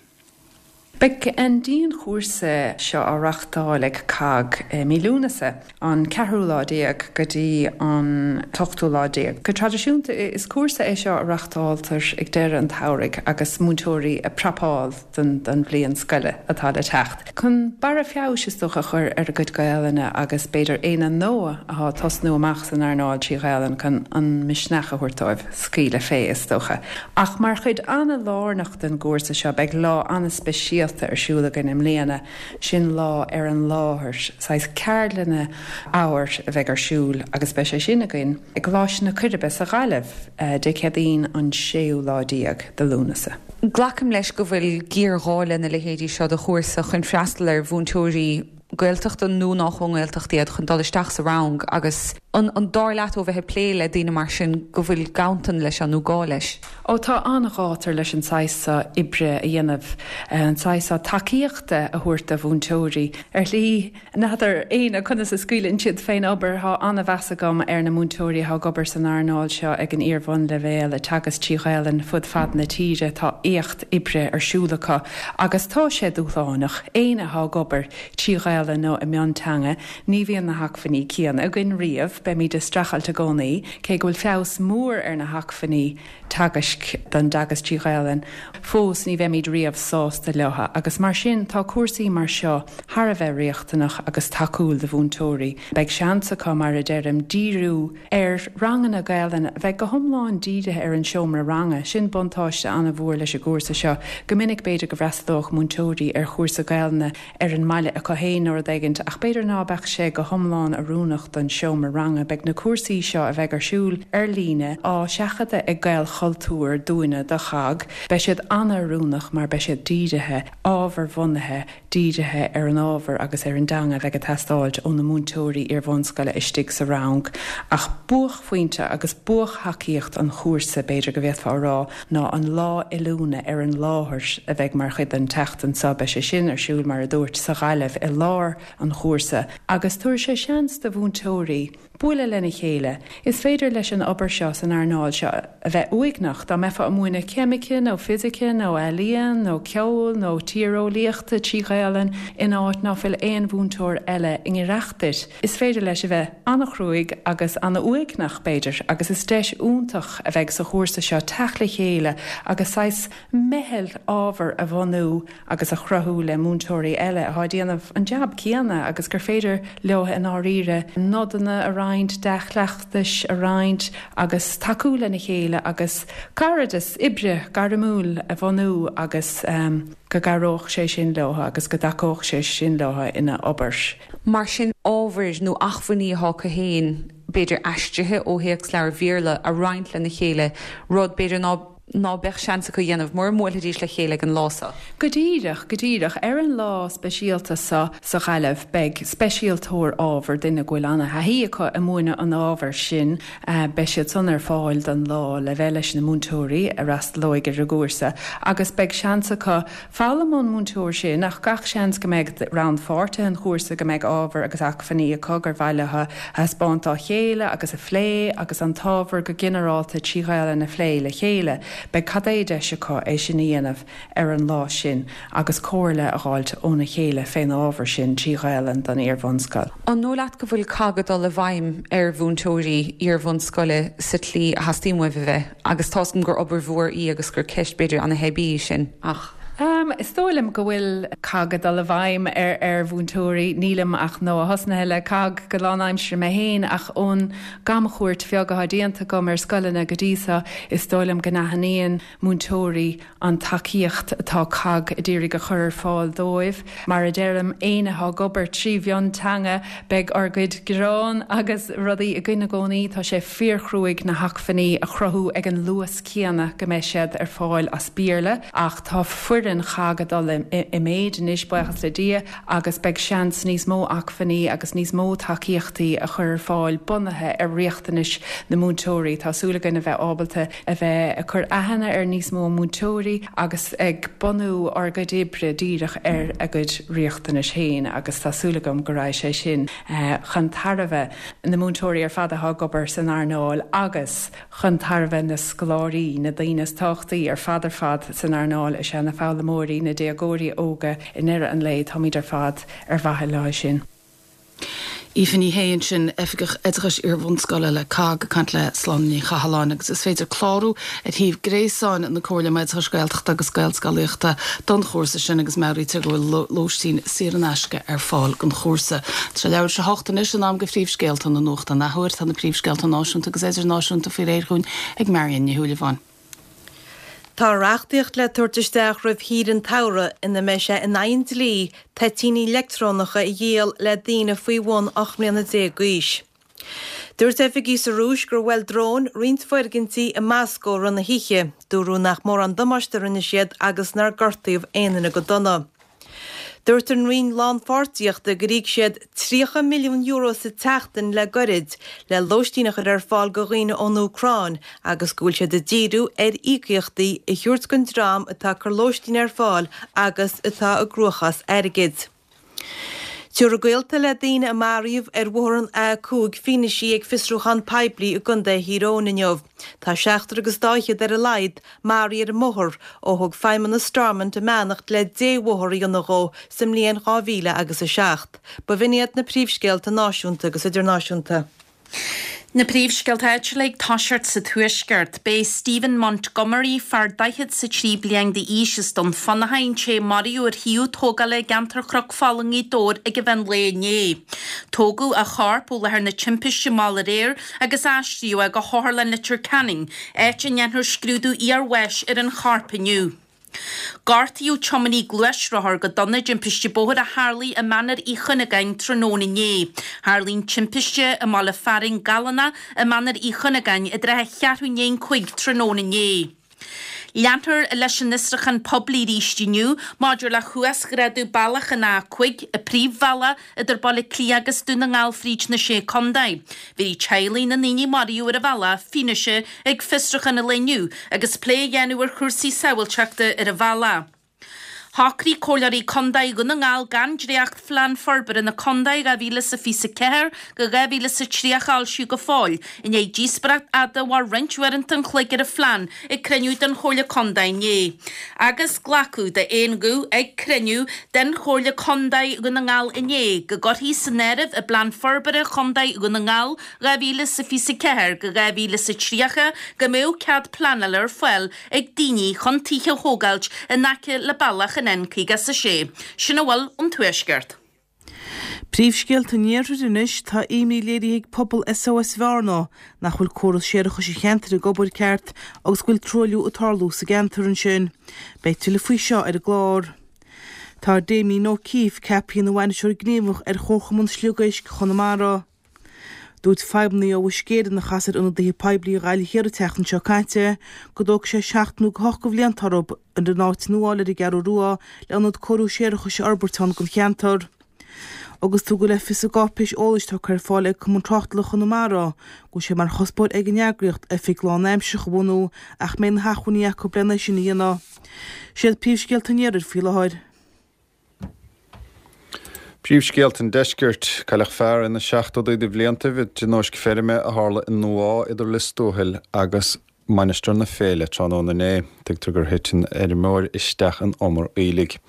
Beidh an dianchúrsa seo á reáchtáil ag COGG i mí Lúnasa, an ceathrú lá déag go dtí an t-ochtú lá déag. Go traidisiúnta, is cúrsa é seo a reáchtáiltear ag deireadh an tsamhraidh agus múinteoirí ag prapáil don bhliain scoile atá le teacht. Chun barra feabhais, is dócha, a chur ar a gcuid Gaelainne agus b'fhéidir éinne nua athá ag tosnú amach san earnáil trí Ghaelainn chun an misneach a thabhairt dóibh scaoileadh fé, is dócha. Ach mar chuid ana-lárnach den gcúrsa seo beidh lá ana-speisialta ar siúl againn i mbliana, sin lá ar an láthair, saghas ceardlanna ábhair a bheidh ar siúl agus beidh sé sin againn i gColáiste na Coiribe sa Ghaillimh Dé Céadaoin an séú lá déag de Lúnasa. Glacaim leis go bhfuil géarghá lena leithéidí seo de chúrsa chun freastal ar mhúinteoirí Gaeltachta nó nách ón nGaeltacht iad chun dul isteach sa rang agus an dar leat ó bheith ag plé le daoine mar sin go bhfuil ganntan leis seo nó gá leis? Ó tá an-ghátar leis an saghas seo oibre a dhéanamh, an saghas seo tacaíochta a thabhairt do mhúinteoirí. Ar shlí, N'fheadar éinne conas a scaoileann siad fén obair. Thá ana-mheas agam ar na múinteoirí athá ag obair san earnáil seo ag an iar-bhunleibhéal, ag teagasc trí Ghaelainn fud fad na tíre. Tá éacht oibre ar siúl acu agus tá sé dúshlánach. Éinne athá ag obair trí Ghaelainn nó i mionteanga, ní bhíonn na hacmhainní céanna againn riamh. Beimid ag streachailt i gcónaí, cé go bhfuil feabhas mór ar na hacmhainní teagaisc don dteagasc trí Ghaelainn, fós ní bheimid riamh sásta leo agus mar sin tá cúrsaí mar seo thar a bheith riachtanach agus tacúil do mhúinteoirí. Beidh seans acu, mar a deirim, díriú ar ranganna Gaelainne a bheidh go hiomlán dírithe ar an seomra ranga. Sin buntáiste an-mhór leis an gcúrsa seo. Go minic b'fhéidir go bhfreastalódh múinteoirí ar chúrsa Gaelainne ar an mbaile acu féin nó rud éigint, ach b'fhéidir ná beadh sé go hiomlán oiriúnach don seomra ranga. Beidh na cúrsaí seo, a bheidh ar siúl ar líne, á seachadadh ag Gaelchultúr dúinne do CHOGG. Beidh siad an-oiriúnach mar beidh siad dírithe, ábharbhunaithe, dírithe ar an ábhar agus ar an dteanga a bheidh ag teastáilt ó na múinteoirí iarbhunscoile istigh sa rang. Ach buaicphointe agus buaicthacaíocht an chúrsa, b'fhéidir go bhféadfá a rá, ná an lá oiliúna ar an láthair a bheidh mar chuid den tseachtain seo. Beidh sé sin ar siúl, mar a dúirt, sa Ghaillimh i lár an chúrsa agus tabharfaidh sé seans do mhúinteoirí bualadh lena chéile. Is féidir leis an obair seo san earnáil seo a bheith uaigneach. Dá mbeifeá ag múineadh ceimice nó fisice nó ealaíon nó ceoil nó tíreolaíochta trí Ghaelainn in áit ná fuil aon mhúinteoir eile i ngiorracht duit, Is féidir leis a bheith an-chruaidh agus an-uaigneach, b'fhéidir, agus is deis iontach a bheidh sa chúrsa seo teacht le chéile agus saghas meitheal ábhair a bhunú agus a chruthú le múinteoirí eile atá ag déanamh an jab céanna agus gur féidir leo i ndáiríre nodanna a roinnt, dea-chleachtais a roinnt agus tacú lena chéile agus cairdeas oibre gairmiúil a bhunú agus go gcabhródh sé sin leo agus go dtacódh sé sin leo ina obair. Mar sin, ábhair nó acmhainní atá acu féin, b'fhéidir aistrithe ó théacsleabhair Bhéarla, a roinnt lena chéile, rud, b'fhéidir, ná ná beadh seans acu a dhéanamh mura mbuailfidís le chéile ag an lá so. Go díreach, go díreach. Ar an lá speisialta so sa Ghaillimh, beidh speisialtóir ábhair, duine go bhfuil ana-thaithí acu i múineadh an ábhair sin, beidh siad san ar fáil don lá le bheith leis na múinteoirí a fhreastalóidh ar an gcúrsa agus beidh seans acu foghlaim ón múinteoir sin ach gach seans go mbeidh rannpháirtithe an chúrsa go mbeidh ábhar agus acmhainní acu gur mhaith leo a thaispeáint dá chéile agus a phlé agus an t-ábhar go ginearálta trí Ghaelainn a phlé le chéile. Beidh cad é deis acu é sin a dhéanamh ar an lá sin agus comhairle a dh'fháilt óna chéile fén ábhar sin trí Ghaelainn don iar-bhunscoil. An dóigh leat go bhfuil cogg ag dul i bhfeidhm ar mhúinteoirí iar-bhunscoile sa tslí a theastaíonn uaibh a bheith? Agus tá's agam gur obair mhór í agus gur ceist b'fhéidir ana-theibí í sin, ach. Is dóigh liom go bhfuil cogg ag dul i bhfeidhm ar mhúinteoirí. Nílim ach nua-thosnaithe le cogg go lánaimseartha mé féin ach ón gcamchuairt bheag atá déanta agam ar scoileanna go dtí seo, is dóigh liom go n-aithníonn múinteoirí an tacaíocht atá cogg a d'iarraidh a chur ar fáil dóibh. Mar a deirim, éinne atá ag obair trí mhionteanga, beidh ár gcuid gearán agus rudaí againn i gcónaí. Tá sé fíorchruaidh na hacmhainní a chruthú ag an luas céanna go mbeidh siad ar fáil as Béarla ach tá foireann CHOGG ag dul i méid anois, buíochas le Dia, agus beidh seans níos mó acmhainní agus níos mó tacaíochtaí a chur ar fáil bunaithe ar riachtanais na múinteoirí. Tá súil againn a bheith ábalta a bheith ag cur aithne ar níos mó múinteoirí agus ag bunú ár gcuid oibre díreach ar a gcuid riachtanais féin agus tá súil agam go raghaidh sé sin chun tairbhe na múinteoirí ar fad atá ag obair san earnáil agus chun tairbhe na scoláirí, na daoine is tábhachtaí ar fad ar fad san earnáil is ea na foghlaimeoirí, na déagóirí óga, i ndeireadh an lae, táimid ar fad ar mhaithe leo sin. Aoife Ní Shé ansin, Oifigeach Oideachais Iar-bhunscoile le cogg, ag caint le Sláine Ní Chathalláin agus is féidir clárú ar shuíomh gréasáin na Comhairle um Oideachais Gaeltachta agus Gaelscolaíochta don chúrsa sin agus meabhraítear go bhfuil lóistín saor in aisce ar fáil don chúrsa. Tá sé leathuair tar éis a hocht anois, in am do phríomhscéalta na nuachta an athuair. Tá na príomhscéalta náisiúnta agus idirnáisiúnta faoi réir dhúinn ag Marion Ní Shúilleabháin. Tá reachtaíocht le tabhairt isteach roimh shaoire an tsamhraidh ina mbeidh sé in aghaidh an dlí toitíní leictreonacha a dhíol le daoine faoi bhun 18 mbliana d'aois. Dúirt oifigigh sa Rúis gur bhuail dróin roinnt foirgintí i Moscó i rith na hoíche. Dúradh nach mórán damáiste a rinne siad agus nár gortaíodh aon duine go dona. Dúirt an Roinn Lánpháirtíochta gur íoc siad €30 milliún sa tseachtain le goirid le lóistín a chur ar fáil go dhaoine ón Úcráin agus go bhfuil siad ag díriú ar íocaíochtaí a thabhairt don dream atá ag cur lóistín ar fáil agus atá i gcruachás airgid. Tabharfaidh gaolta le daoine a maraíodh ar bhóthar an A5 fianaise ag fiosrúchán poiblí i gContae Thír Eoghain inniu. Tá seachtar agus dá fhichead ar a laghad maraithe ar an mbóthar ó thug Feidhmeannas Stormont a mbeannacht le débhóthar a dhéanamh dhó sa mbliain 2000 agus 7. B'in iad na príomhscéalta náisiúnta agus idirnáisiúnta. Na príomhscéalta áitiúla ag toiseacht sa Tuaisceart. B'é Stephen Montgomery, fear 43 bliain d'aois as Dún Fionnachaidh, an té a maraíodh ar shuíomh tógála i gceantar Chnoc Fola i nGaoth Dobhair ag an mheán lae inné. Tógadh a chorp ó láthair na timpiste mall aréir agus aistríodh é go hOtharlann Leitir Ceanainn, áit a ndéanfar scrúdú iarbháis ar an chorp inniu. Gortaíodh tiománaí gluaisrothair go dona i dtimpiste bóthair a tharlaigh i Mainéar Uí Chuinneagáin tráthnóna inné. Tharlaigh an timpiste i mbaile fearainn Gallana i Mainéar Uí Chuinneagáin i dtrátha cheathrú i ndiaidh an chúig tráthnóna inné. Leanfar leis an fhiosrúchán poiblí arís inniu maidir le huasghrádú bealach an A5, an príomhbhealach idir Baile Átha Cliath agus Dún na nGall fríd na Sé Contae. Bhéarfaidh teaghlaigh na ndaoine a maraíodh ar an bhealach fianaise ag fiosrúchán an lae inniu agus plé á dhéanamh ar chúrsaí sábháilteachta ar an bhealach. Shocraigh Comhairleoirí Contae Dhún na nGall gan dréacht-Phlean Forbartha na Contae 2024-2030 a fhoilsiú go fóill, i ndiaidh díospóireacht fhada a mhair roinnt uaireanta an chloig ar an phlean ag cruinniú den Chomhairle Contae inné. Agus glacadh d'aon ghuth ag cruinniú den Chomhairle Contae Dhún na nGall inné go gcuirfí san áireamh i bPlean Forbartha Chontae Dhún na nGall 2024-2030 go mbeadh cead pleanála ar fáil ag daoine chun tithe a thógáilt in aice le bealach an N56. Sin a bhfuil ón Tuaisceart. Príomhscéalta an Iarthair anois, tá imní léirithe ag pobal SOS Bhearna nach bhfuil córas séarachais an cheantair ag obair ceart agus go bhfuil truailliú ag tarlú sa gceantar ansin. Beidh tuilleadh faoi seo ar an gclár. Tá Damien O'Keeffe ceaptha ina bhainisteoir gníomhach ar Chomharchumann Sliogéisc Chonamara. Dúirt feidhmeannaigh ó Uisce Éireann a chas ar ionadaithe poiblí Ghaillimh Thiar an tseachtain seo caite go dtógfaidh sé seacht nó go hocht de bhlianta orthu an áit nua a fháil ar an gCeathrú Rua le ionad cóiriú séarachais a fhorbairt ann don cheantar. Agus tugadh le fios i gcáipéis eolais tugtha ar fáil ag Cumann Tráchtála Chonamara go bhfuil sé mar chuspóir ag an eagraíocht oifig lánaimsearach a bhunú ach mbeidh na hacmhainní acu lena sin a dhéanamh. Siad príomhscéalta an iarthair faoi láthair. Príomhscéalta an Deiscirt, Cailleadh fear ina seachtóidí de bhliantaibh i dtionóisc feirme a tharla i nDumha idir Lios Tuathail agus Mainistir na Féile tráthnóna inné. Tuigtear gur thit an feirmeoir isteach in umar aoiligh.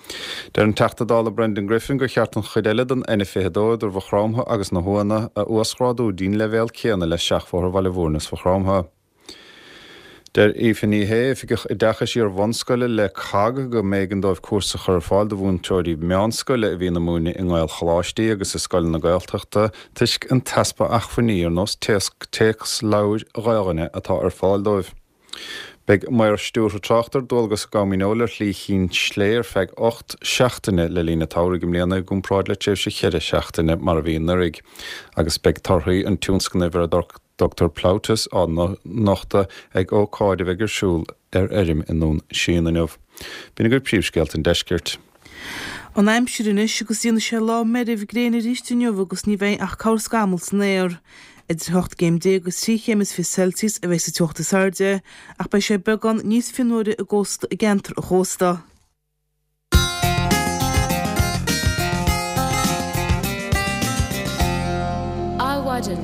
Deir an Teachta Dála Brendan Griffin gur cheart an chuid eile den N22 idir Mhaigh Chromtha agus na hUamhanna a uasghrádú dtí'n leibhéal céanna le seachbhóthar Bhaile Mhúirne is Mhaigh Chromtha. Deir Aoife Ní Shé, Oifigeach Oideachais Iar-bhunscoile le cogg, go mb'éigean dóibh cúrsa a chur ar fáil do mhúinteoirí meánscoile a bhíonn ag múineadh i nGaelcholáistí agus i scoileanna Gaeltachta toisc an t-easpa acmhainní ar nós téacsleabhair Ghaelainne atá ar fáil dóibh. Beidh maor stiúrtha tráchta ar dualgas i gCom Dhíneol ar Shlí Chinn tSlé ar feadh 8 seachtaine le linn an tsamhraidh i mbliana i gcomparáid le tréimhse cheithre seachtaine mar a bhí anuraidh agus beidh torthaí an tionscnaimh ar a dtugtar Plautus á nochtadh ag ócáid a bheidh ar siúl ar fheirm i nDún Síon inniu. B'in agaibh príomhscéalta an deiscirt. An aimsir anois agus déanfaidh sé lá meirbh gréine arís inniu agus ní bheidh ach corrscamall san aer. Idir 18 gcéim agus 3 chéim is 20 Celsius a bheidh sa teocht is airde ach beidh sé beagán níos fionnuaire i gcósta i gceantar an chósta. Adhmhaidin.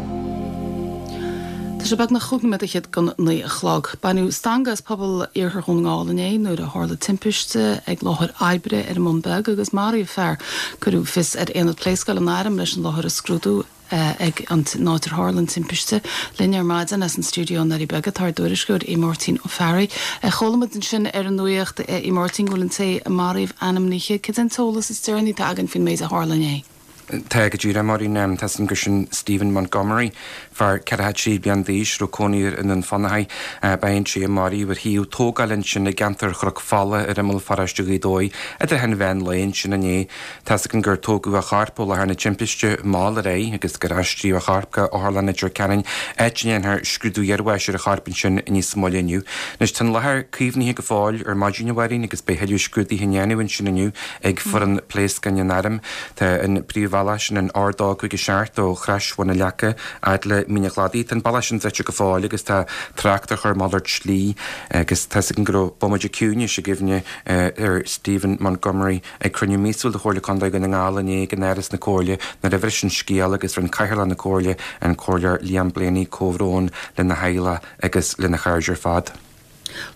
Tá sé beagnach chúig nóiméad fhichead don naoi a chlog. Baineadh stangadh as pobal Iarthar Dhún na nGall inné nuair a tharla timpiste ag láthair oibre ar an mBun Beag agus maraíodh fear. Cuireadh fios ar aonad pléascáin an Airm leis an láthair a scrúdú. ag an áit ar tharla an timpiste. Linn ar maidin as an stiúideo i nDoirí Beaga tá ár dtuairisceoir Aodh Máirtín Ó Fearraigh. Chuala muid ansin ar an nuacht, a Aodh Máirtín, go bhfuil an té a maraíodh ainmnithe. Cad é an t-eolas is deireanaí atá againn faoin méid a tharla inné? Tá go díreach, a Mháirín. Tá 's agam gur sin Stephen Montgomery, fear 43 bliain d'aois, a raibh cónaí air i nDún Fionnachaidh. Ba é an té a maraíodh ar shuíomh tógála ansin i gceantar Chnoc Fola ar imeall pharóiste Ghaoth Dobhair idir an mheán lae ansin inné. Tá's againn gur tógadh a chorp ó láthair na timpiste mall ar aghaidh agus gur aistríodh a chorp go Otharlann Leitir Ceanainn, áit a ndéanfar scrúdú iarbháis ar a chorp ansin níos moille inniu. Anois tá an láthair caomhnaithe go fóill ar maidin, a Mháirín, agus beidh thuilleadh scrúdaithe á ndéanamh ansin inniu ag foireann pléascáin an Airm. Tá an príomhbhealach sin, an R257 ó Chrois Bhun na Leaca fhad le Mín an Chladaigh, tá an bealach sin druidte go fóill agus tá trácht á chur malairt slí agus tá's againn go raibh bomaite ciúnais i gcuimhne ar Stephen Montgomery Ag cruinniú míosúil de Chomhairle Contae Dhún na nGall inné ag in Áras na Comhairle nuair a bhris an scéal agus rinne Cathaoirleach na Comhairle, an Comhairleoir Liam Blaney comhbhrón lena theaghlach agus lena chairde ar fad.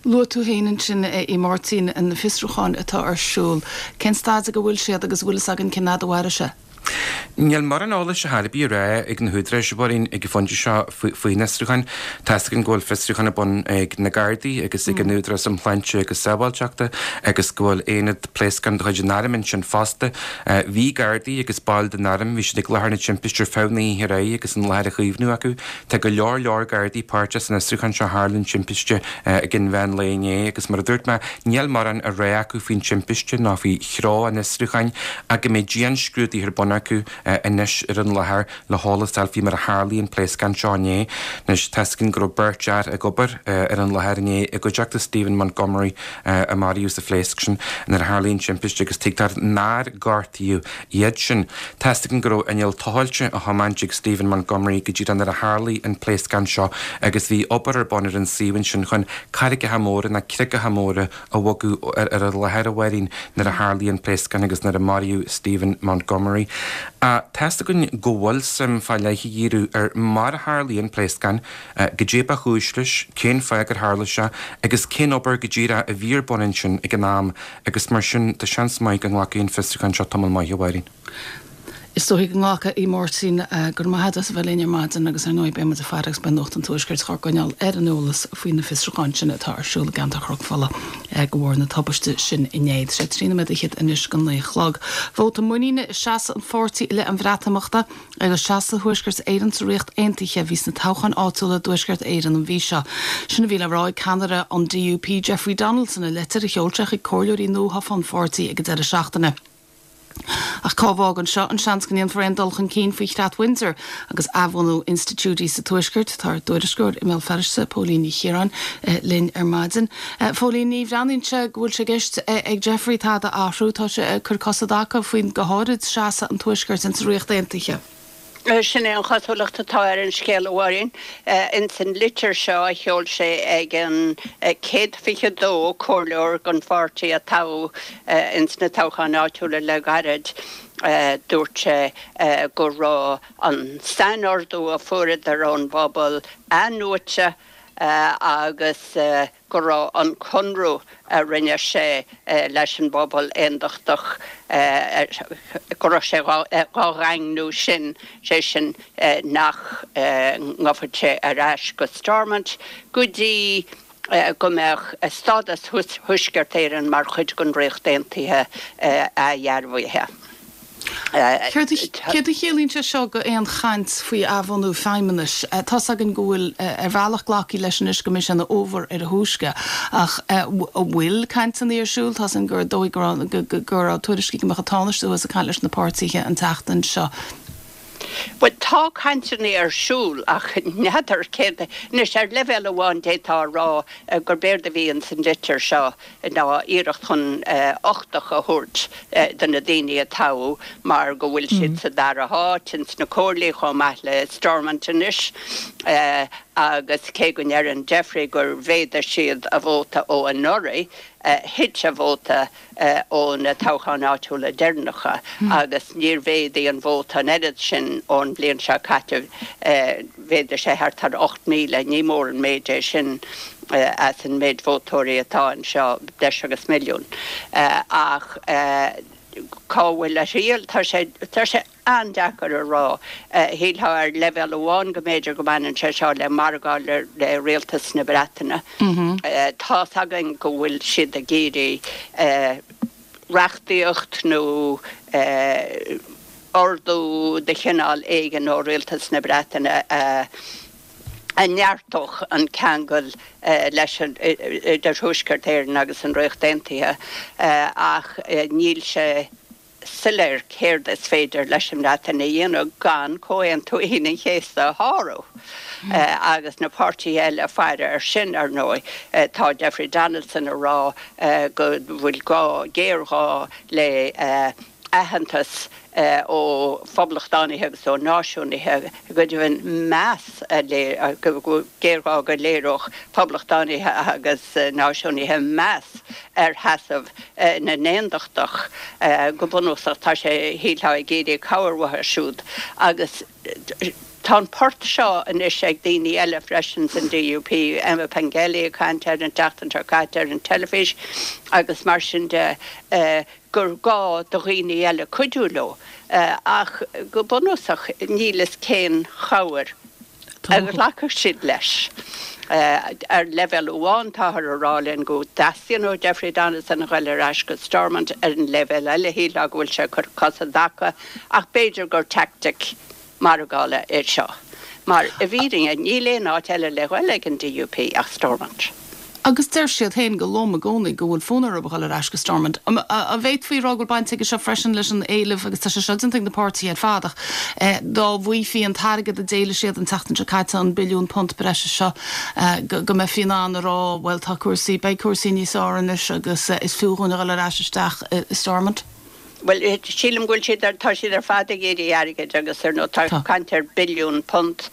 Luaigh tú féin ansin, a Aodh Máirtín, na fiosrúcháin atá ar siúl. Cén staid ag a bhfuil siad agus an bhfuil fhios againn cén fhad a mhairfidh sé? Níl mórán eolais ar chor ar bith á rá ag na húdaráis, a Mháirín, ag an phointe seo faoi na fiosrúcháin. Tá's againn go bhfuil fiosrúchán ar bun ag na Gardaí agus ag an Údarás um Shláinte agus Sábháilteachta agus go bhfuil aonad pléascán de chuid an Airm ansin fosta. Bhí Gardaí agus baill den Arm, bhí siad ag láthair na timpiste ar feadh na hoíche aréir agus an láthair á caomhnú acu. Tá go leor leor Gardaí páirteach san fhiosrúchán seo tharla an timpiste ag an mheán lae inné agus mar a dúirt mé, níl mórán á rá acu faoin timpiste ná faoi threo an fhiosrúcháin ach go mbeidh dianscrúduithe ar bun acu anois ar an láthair le heolas a fháil faoi mar a tharlaigh an pléascán seo inné. Anois, tá's againn go raibh beirt fhear ag obair ar an láthair inné i gcuideachta Stephen Montgomery a maraíodh sa phléasc sin nuair a tharlaigh an timpiste agus tuigtear nár gortaíodh iad sin. Tá's againn go raibh inneall tochailte á thiomáint ag Stephen Montgomery go díreach nuair a tharlaigh an pléascán seo agus bhí obair ar bun ar an suíomh ansin chun carraigeacha móra nó creagacha móra a bhogadh ar an láthair, a Mháirín, nuair a tharlaigh an pléascán agus nuair a maraíodh Stephen Montgomery. Tá's againn go bhfuil suim fá leith á dhíriú ar mar a tharlaigh an pléascán, goidé ba chúis leis, cén fáth gur tharla sé agus cén obair go díreach a bhí ar bun ansin ag an am agus mar sin tá seans maith go nglacfaidh an fiosrúchán seo tamall maith, a Mháirín. Is dóigh go nglacfaidh, a Mháirtín. Go raibh maith agat as a bheith linn ar maidin agus ar ndóigh beidh muid ag faire agus beidh Nuacht an Tuaiscirt dhár gcoinneáil ar an eolas faoi na fiosrúcháin sin atá ar siúl i gceantar Chnoc Fola de bharr na tubaiste sin inné. Tá sé 13 nóiméad fhichead anois go naoi a chlog. Vóta muiníne i seasamh an pháirtí i leith an Bhreatimeachta agus seasamh Thuaisceart Éireann sa Ríocht Aontaithe a bhí sna toghcháin áitiúla i dTuaisceart Éireann an mhí seo. Sin a bhí le rá ag ceannaire an DUP Jeffrey Donaldson i leitir a sheol sé chuig comhairleoirí nuathofa an pháirtí ag an deireadh seachtaine. Ach cá bhfágann seo an seans go ndéanfar aon dul chun cinn faoi Chreat Windsor agus athbhunú institiúidí sa Tuaisceart? Tá ár dtuairisceoir i mBéal Feirste, Póilín Ní Chiaráin, linn ar maidin. Phóilín, ní bhreathnaíonn sé go bhfuil sé i gceist ag Jeffrey tada a athrú. Tá sé ag cur cos i dtaca faoin, go háirid, seasamh an Tuaiscirt insa Ríocht Aontaithe. Sin é an chosúlacht atá ar an scéal, a Mháirín. Ins an litir seo a sheol sé ag an 122 comhairleoir den pháirtí a toghadh ins na toghcháin áitiúla le gairid, dúirt sé go raibh an sainordú a fuaireadar ón bpobal athnuaite agus go raibh an conradh a rinne sé leis an bpobal aondachtach, go raibh sé dhá dhaingniú sin, sé sin nach ngabhfadh sé ar ais go Stormont go dtí. Go mbeadh stádas Thuaisceart Éireann mar chuid den Ríocht Aontaithe athdhearbhaithe. Céard a chiallaíonn sé seo go aon chaint faoi athbhunú feidhmeannais? Tá's againn go bhfuil ar bhealach glactha leis anois go mbeidh sé ina fhómhar ar a thúisce, ach an bhfuil cainteanna ar siúl? Tá's againn gur dóigh go raibh tuairiscí go mbeadh an Tánaiste thuas ag caint leis na páirtithe an tseachtain seo. Bhuel, tá cainteanna ar siúl ach n'fheadar céard. Anois, ar leibhéal amháin d'fhéadfá a rá gurb éard a bhí ins an litir seo ná iarracht chun uchtach a thabhairt do na daoine a toghadh mar go bhfuil siad sa dara háit ins na comhairlí chomh maith le Stormont anois agus cé go ndeireann Jeffrey gur mhéadaigh siad a vóta ó anuraidh, thit a vóta ó na toghcháin áitiúla deireanacha agus níor mhéadaigh an vóta an oiread sin ón bhliain seo caite, mhéadaigh sé thart ar 8,000, ní mór an méid é sin as an méid vótóirí atá anseo, breis agus milliún. Ach cá bhfuil a thriall? Tá sé, tá sé an-deacair a rá. Shílfeá ar leibhéal amháin go mb'fhéidir go mbaineann sé seo le margáil le rialtas na Breataine. Tá's againn go bhfuil siad ag iarraidh reachtaíocht nó ordú de chineál éigin ó rialtas na Breataine a a neartódh an ceangal leis an idir Thuaisceart Éireann agus an Ríocht Aontaithe ach níl sé soiléir céard is féidir leis an mBreatain a dhéanamh gan Comhaontú Aoine an Chéasta a shárú. Agus na páirtithe eile ag faire air sin, ar ndóigh. Tá Jeffrey Donaldson ag rá go bhfuil gá, géarghá le aitheantas ó phoblachtánaithe agus ó náisiúnaithe, go deimhin meas a géarghá go léireodh poblachtánaithe agus náisiúnaithe meas ar sheasamh na n-aondachtach. Go bunúsach, tá sé, shílfeá, ag iarraidh cabhair uathu siúd agus tá an port seo anois ag daoine eile freisin san DUP, Emma Pengelly ag caint air an tseachtain seo caite ar an teilifís agus mar sin de, gur gá do dhaoine eile cuidiú leo. Ach go bunúsach, níl fhios cén chabhair a ghlacfadh siad leis. Ar leibhéal amháin, táthar a rá linn go dteastaíonn ó Jeffrey Donaldson a ghoil ar ais go Stormont, ar an leibhéal eile, shílfeá go bhfuil sé ag cur cos i dtaca, ach b'fhéidir gur teaictic margála é seo, mar i bhfírinne níl aon áit eile le ghoil ag an DUP ach Stormont. Agus deir siad féin go lom i gcónaí go bhfuil fonn orthu a dhul ar ais go Stormont. An bhféadfaí a rá go bhfuil baint aige seo freisin leis an éileamh, agus tá sé seo déanta ag na páirtithe ar fad, ach dá bhfaighfí an t-airgead a d'éiligh siad an tseachtain seo caite, an billiún punt breise seo, go mbeifí in ann a rá, bhuel tá cúrsaí, beidh cúrsaí níos fearr anois agus is fiú dhúinn a dhul ar ais isteach i Stormont? Bhuel, sílim go bhfuil siad ar, tá siad ar fad ag iarraidh airgid agus ar ndóigh tá caint ar billiún punt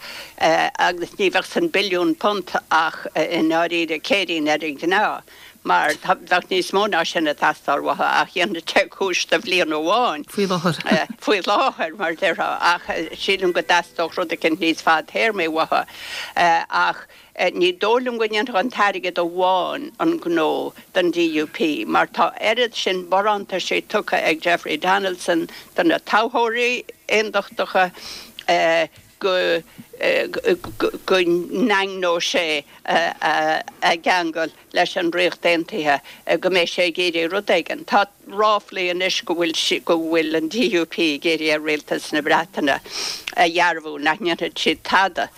agus ní bheadh san billiún punt ach i ndáiríre céirín ar an gcneá mar bheadh níos mó ná sin ag teastáil uathu ach dhéanfadh sé cúis do bhliain amháin. Faoi láthair. Faoi láthair, mar a déarfá, ach sílim go dteastódh rud eicínt níos fadtéarmaí uathu ach Ní dóigh liom go ndéanfadh an t-airgead amháin an gnó don DUP mar tá oiread sin barántaisí tugtha ag Jeffrey Donaldson do na toghthóirí aondachtacha go go ndaingneodh sé a gceangal leis an Ríocht Aontaithe go mbeidh sé ag iarraidh rud éigin. Tá ráflaí anois go bhfuil go bhfuil an DUP ag iarraidh ar Rialtas na Breataine a dhearbhú nach ndéanfaidh siad tada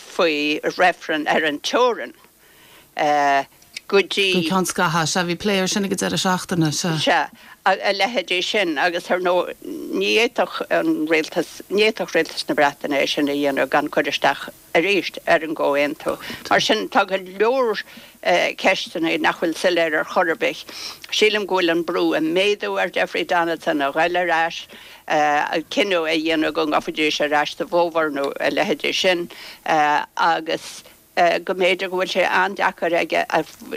faoi reifreann ar an teorainn go dtí. Go ceann scaithimh. Sea, bhí plé air sin ag an deireadh seachtaine, sea. Sea, a leithéidí sin agus ar ndóigh ní fhéadfadh an rialtas, ní fhéadfadh rialtas na Breataine é sin a dhéanamh gan cur isteach arís ar an gcomhaontú. Mar sin tá go leor ceisteanna nach bhfuil soiléir ar chor ar bith. Sílim go bhfuil an brú ag méadú ar Jeffrey Donaldson a ghoil ar ais. cinneadh a dhéanamh go ngabhfaidís ar ais sa bhfómhar nó a leithéidí sin agus go mb'fhéidir go bhfuil sé an-deacair aige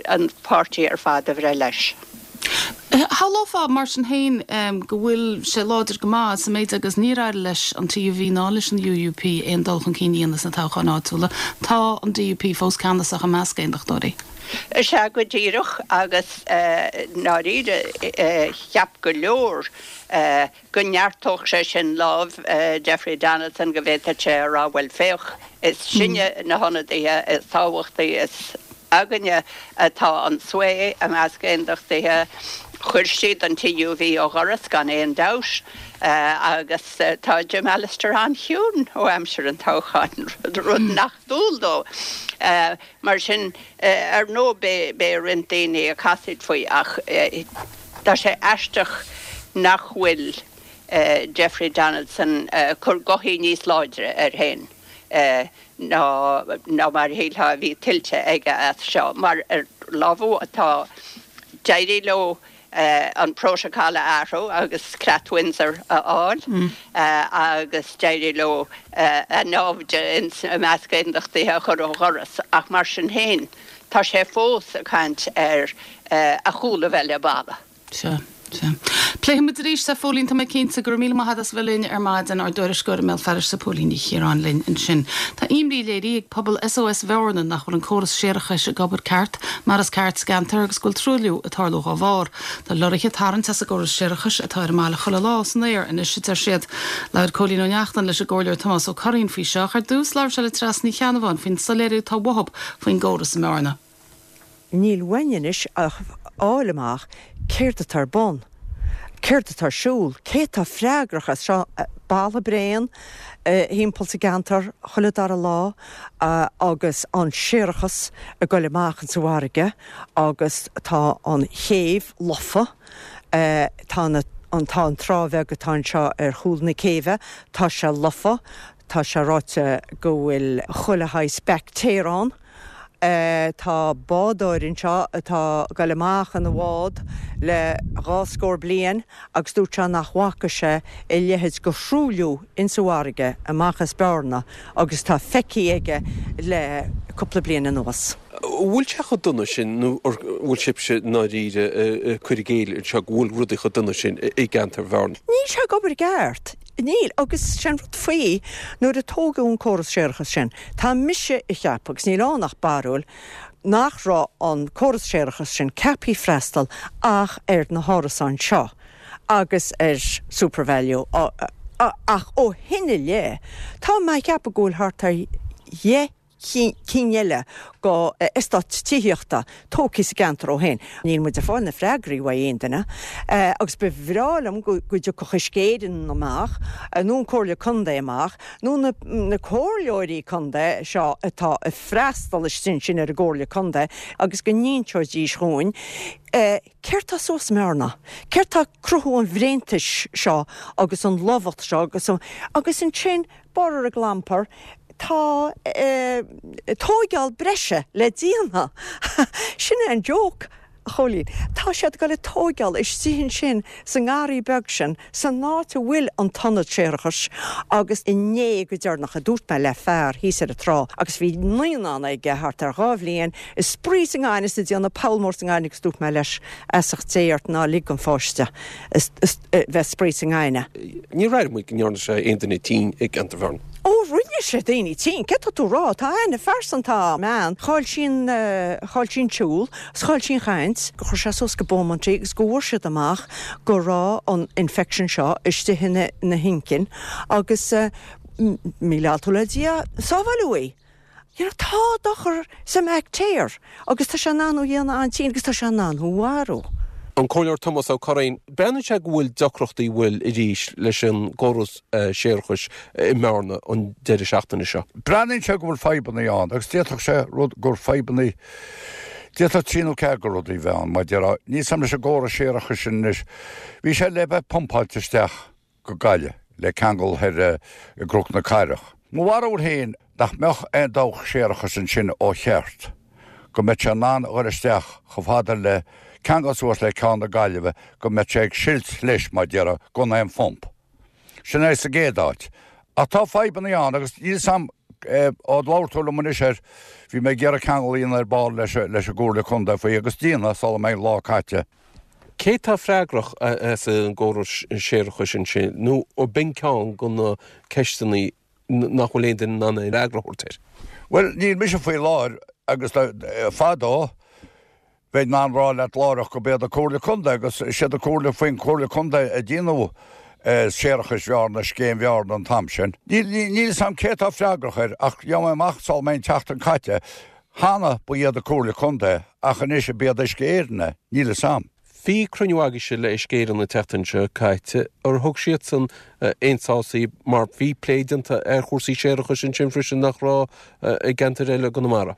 an páirtí ar fad a bhreith leis. Shamhlófá, mar sin féin, go bhfuil sé láidir go maith sa méid agus níor éirigh leis an TUV ná leis an UUP aon dul chun cinn a dhéanamh sna toghcháin áitiúla. Tá an DUP fós ceannasach i measc aondachtóirí. Sea, go díreach, agus i ndáiríre cheap go leor go neartódh sé sin lámh Jeffrey Donaldson, go bhféadfadh sé a rá, bhuel féach, is sinne na hionadaithe is tábhachtaí, is. Againne atá an sway i measc aondachtaithe. Chuir siad an TUV ó dhoras gan aon dabht agus tá Jim Allister an-chiúin ó aimsir an toghcháin, rud nach dual dó. Mar sin, ar ndóigh beidh roinnt daoine ag casaoid faoi ach tá sé aisteach nach bhfuil Jeffrey Donaldson ag cur gothaí níos láidre air féin. ná mar a shílfeá a bhí tuillte aige as seo, mar ar lámh atá d'éirigh leo an prótacal a athrú agus Creat Windsor a fháil agus d'éirigh leo a naimhde i measc aondachtaithe a chur ó dhoras ach mar sin féin tá sé fós ag caint ar a chúl a bheith le balla. Sea, sea. Pléifidh muid arís é, a Phóilín, tá mé cinnte. Go raibh míle maith agat as a bheith linn ar maidin, ár dtuairisceoir i mBéal Feirste, Póilín Ní Chiaráin linn ansin. Tá imní léirithe ag pobal SOS Bhearna nach bhfuil an córas séarachais ag obair ceart mar is ceart sa gceantar agus go bhfuil truailliú ag tarlú dhá bharr. Tá lorraithe ag tarraingt as an gcóras séarachais atá ar an mbaile chuile lá san aer anois, a deir siad. Labhair Cóilín Ó Neachtain leis an gComhairleoir Tomás Ó Curraoin faoi seo ach ar dtús labhair sé le Treasa Ní Cheannabháin faoin soiléiriú atá uathu faoin gcóras i mBearna. Níl uainn anois ach fháil amach céard atá ar bun, céard atá ar siúl, cé atá freagrach as seo. Balla bréan thimpeall sa gceantar chuile dara lá agus an séarachas ag goil amach insa bhfarraige agus tá an chéibh lofa, tá na, tá an trá bheag atá anseo ar chúl na céibhe, tá sé lofa, tá sé ráite go bhfuil chuile shaghas baictéar ann. Tá bádóir anseo atá ag goil amach ina bhád le dhá scór bliain agus dúirt sé nach bhfaca sé a leithéid de thruailliú insa bhfarraige amach as Bearna agus atá feicthe aige le cúpla bliain anuas. An bhfuil sé chomh dona sin nó an bhfuil sibhse i ndáiríre ag cur i gcéill anseo go bhfuil rudaí chomh dona sin i gceantar Bhearna? Níl sé ag obair i gceart. Níl, agus sé an rud faoi, nuair a tógadh an córas séarachais sin, tá mise a cheapadh, agus níl ann ach barúil, nach raibh an córas séarachais sin ceaptha freastal ach ar na hárasáin seo agus ar Supervalu ach ó shin i leith, tá mé a cheapadh go bhfuil thart ar dheich cinn eile go eastáit tithíochta tógtha sa gceantar ó shin. Níl muid ag fáil na freagraí uaidh aon duine agus ba bhreá liom go dtiocfadh Uisce Éireann amach nó an Comhairle Contae amach nó na comhairleoirí contae seo atá ag freastal istigh ansin ar an gComhairle Contae agus go n-inseoidís dhúinn céard tá suas i mBearna, céard tá ag cruthú an bhréantais seo agus an lobhacht seo agus agus ansin Borradh ar gclampar, tá tóigeáil breise le déanamh. Sin é an joke, a Chóilín. Tá siad ag dul ag tóigeáil istigh ansin sa ngarraí beag sin, san áit a bhfuil an t-ionad séarachais agus inné go deireanach a dúirt mé le fear thíos ar an trá agus bhí naíonán aige thart ar dhá bhliain ag spraoi sa ngaineamh is ag déanamh poll mór sa ngaineamh agus dúirt mé leis, feasacht Dé ort ná lig don pháiste bheith ag spraoi sa ngaineamh. Níor airigh muid go ndearna sé aon duine tinn i gceantar Bhearna. Ó, rinne sé daoine tinn, céard tá tú a rá? Tá aithne phearsanta a'm ann. Chaill sí an, chaill sí an tsiúl agus chaill sí an chaint. Gur chuir sé suas go Beaumont í agus go bhfuair siad amach go raibh an infection seo istigh ina, ina hinchinn agus míle altú le Dia, sábháileadh í. You know, tá dochar sa mbaictéar agus tá sé in ann thú a dhéanamh an-tinn agus tá sé in ann thú a mharú. An Comhairleoir Tomás Ó Curraoin, Breathnaíonn sé go bhfuil deacrachtaí bhfuil arís leis an gcóras séarachais i mBearna an deireadh seachtaine seo. Breathnaíonn sé go bhfuil fadhbanna ann agus d'fhéadfadh sé rud gur fadhbanna, d'fhéadfadh trí nó ceathair de rudaí bheith ann, mar a déarfá. Níl 's a'm leis an gcóras séarachais sin anois, bhí sé le bheith pumpáilte isteach go Gaillimh le ceangal thoir i gCnoc na Cathrach. Mo bharúil féin nach mbeadh aon dabhach séarachais ansin ó cheart go mbeadh sé in ann a dhul isteach chomh fada le ceangal suas le ceann na Gaillimhe go mbeadh sé ag silt leis, mar déarfá, gan aon phump. Sin é sa gcéad áit. Ach tá fadhbanna ann agus níl 's a'm ó labhair tú liom anois air, bhí mé ag iarraidh ceangal a dhéanamh ar ball leis an gComhairle Contae faoi agus déanfaidh sula mbeidh an lá caite. Cé tá freagrach as an gcóras séarachais ansin nó an b'in ceann de na ceisteanna nach bhfuil aon duine in ann aon fhreagra a thabhairt air? Bhuel, níl mise faoi láthair agus fadó bheinn in ann rá leat láithreach go b'iad an Comhairle Contae agus is iad an Comhairle faoin Comhairle Contae a déanadh séarachais Bhearna, Scéim Bhearna an t-am sin. Níl 'fhios a'm cé atá freagrach air ach gheobhaidh mé amach sula mbeidh an tseachtain caite. Cheana ba iad an Comhairle Contae ach anois ab iad Uisce Éireann é, níl fhios a'm. Bhí cruinniú agaibhse le Uisce Éireann an tseachtain seo caite. Ar thug siadsan aon sás daoibh mar bhí plé déanta ar chúrsaí séarachais ansin freisin nach raibh i gceantair eile i gConamara?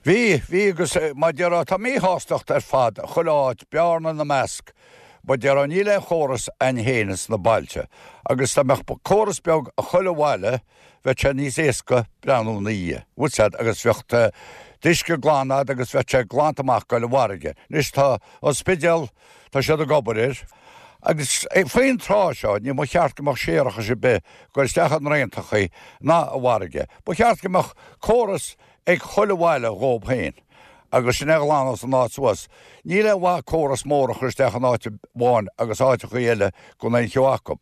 Bhí, bhí agus mar a déarfá tá míshástacht ar fad chuile áit, Bearna ina measc. Mar a déarfá níl aon chóras a'inn féin ins na bailte agus dá mbeadh córas beag i chuile bhaile bheadh sé níos éasca breathnú ina dhiaidh, bhfuil 's a'd, agus bheadh d'uisce glan a'd agus bheadh sé glanta amach ag goil i bhfarraige. Anois tá an Spidéal, tá siad ag obair air agus faoin tráth seo ní ba cheart go mbeadh séarachas ar bith ag goil isteach i ndraontachaí ná i bhfarraige. Ba cheart go mbeadh córas ag chuile bhaile dhób féin agus sin é a ghlanfas an áit suas. Níl aon mhaith córas mór a chur isteach in áit amháin agus áiteachaí eile gan aon cheo acu.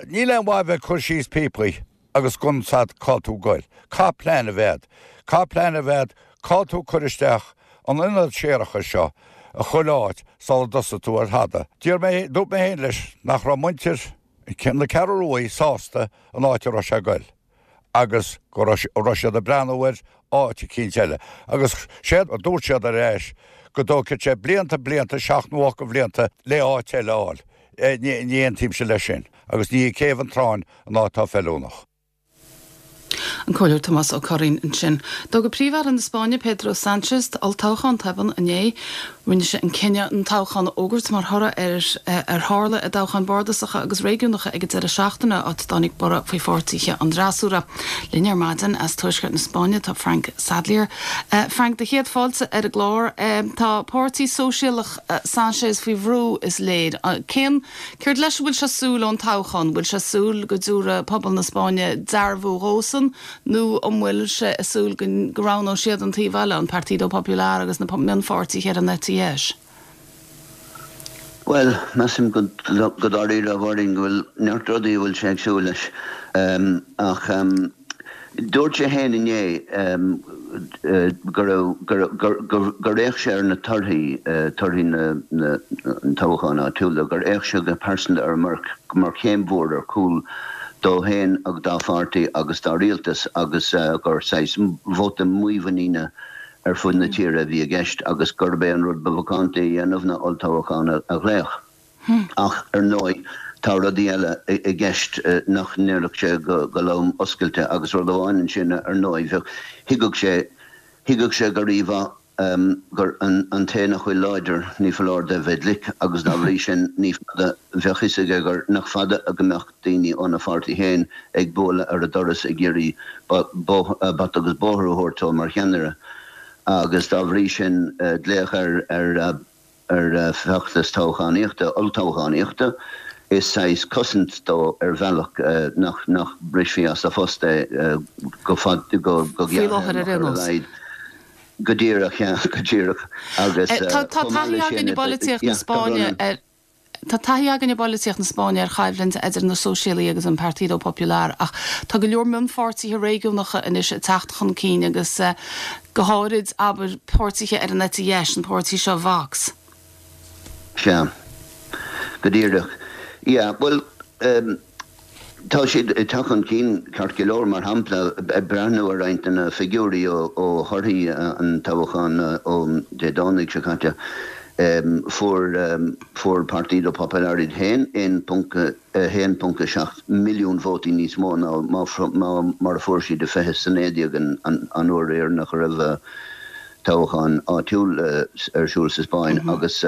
Níl aon mhaith a bheith ag cur síos píopaí agus gan 's a'd cá tú ag goil. Caithfidh plean a bheith a'd. Caithfidh plean a bheith a'd cá tú ag cur isteach an ionad séarachais seo i chuile áit sula dtosaigh tú ar thada. D'iarr mé, dúirt mé féin leis nach raibh muintir na Ceathrún Rua sásta an áit a raibh sé ag goil. agus go raibh siad ag breathnú ar áit eicínt eile. Agus séard a dúirt siad ar ais, go dtógfaidh sé blianta, blianta, seacht nó ocht de bhlianta le áit eile a fháil. Ní aontaímse leis sin. Agus ní hí Céibh an Tráin an áit atá feiliúnach. An Comhairleoir Tomás Ó Curraoin ansin. D'fhógair Príomh-Aire na Spáinne Pedro Sánchez olltoghchán tobann inné. Rinne sé an cinneadh an toghchán a fhógairt mar thoradh ar ar tharla i dtoghcháin bardasacha agus réigiúnacha ag an deireadh seachtaine, áit a dtáinig borradh faoi pháirtithe an fhreasúra. Linn ar maidin as tuaisceart na Spáinne tá Frank Sadlier. Frank, do chéad fáilte ar an gclár. Tá páirtí sóisialach Sanchez faoi bhrú, is léir. Cén, céard leis a bhfuil sé ag súil ón toghchán? Bhfuil sé ag súil go dtabharfaidh pobal na Spáinne dearbhú dhósan? Nó an bhfuil sé ag súil go roghnóidh siad an taobh eile, an Partido Popular agus na mionpháirtithe ar an eite dheis? Bhuel, measaim go dáiríre, a Mháirín, go bhfuil neart rudaí a bhfuil sé ag súil leis. Ach dúirt sé féin inné go raibh, gur fhéach sé ar na torthaí, torthaí na toghcháin áitiúla, gur fhéach sé go pearsanta air mar chéim mhór ar chúl dó féin agus dá pháirtí agus dá rialtas agus gur saghas vóta mímhuiníne ar fud na tíre a bhí i gceist agus gurb é an rud ba mhacánta a dhéanamh ná olltoghchán a ghlaoch. Ach, ar ndóigh, tá rudaí eile i gceist nach ndéarfadh sé go lom oscailte agus rud amháin ansin, ar ndóigh, bheadh, thuigfeadh sé, thuigfeadh sé go rímhaith, gur an té nach bhfuil láidir, ní foláir dó bheith glic, agus dá bhrí sin, ní fada, bheadh fhios aige gur, nach fada go mbeadh daoine óna pháirtí féin ag bualadh ar a doras ag iarraidh bata agus bóthar a thabhairt dó mar cheannaire, agus dá bhrí sin, glaoch ar, ar. ar feachtas toghchánaíochta, olltoghchánaíochta. Is saghas cosaint dó ar bhealach nach nach mbrisfí as a phost é go fad, go Faoi láthair gearrthéarmach ar aon ar a nós. laghad. Go díreach, yeah, go díreach. Agus Tá tá chomh maith taithí leis againn sin, i bpolaitíocht na yeah, tá Spáinne Ronan. ar Tá taithí againn i bpolaitíocht na Spáinne ar choimhlint idir na Sóisialaigh agus an Partido Popular ach tá go leor mionpháirtithe réigiúnacha anois ag teacht chun cinn agus go háirid, abair, páirtithe ar an eite dheis, an páirtí seo Vox. Sea. Go díreach. Yeah, bhuel, Tá siad ag teacht chun cinn ceart go leor, mar shampla, ag breathnú ar roinnt de na figiúirí ó thorthaí an toghcháin ó Dé Domhnaigh seo caite, fuair fuair Partido Popular iad féin 1.7 milliún vótaí níos mó ná mar a fuair siad i 2019, an uair dheireanach a raibh toghchán áitiúil ar siúl sa Spáinn agus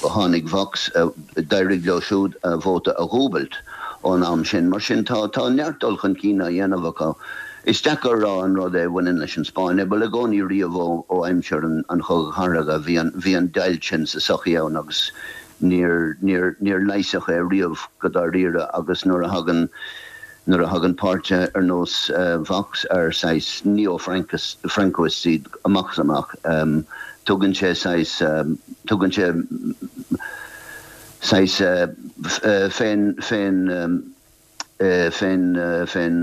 tháinig Vox, d'éirigh leo siúd a vóta a dhúbailt ón am sin. Mar sin tá tá neart dul chun cinn á dhéanamh acu. Is deacair a rá an rud é a bhaineann leis an Spáinn é, bhuel i gcónaí riamh ó ó aimsir an an Chogaidh Chathartha bhí an bhí an deighilt sin sa tsochaí ann agus níor níor níor leigheasadh é riamh go dáiríre agus nuair a thagann Nuair a thagann páirtithe ar nós Vox, ar saghas neo-Francoists iad amach is amach, tugann sé saghas, tugann sé saghas féin, féin, féin, féin,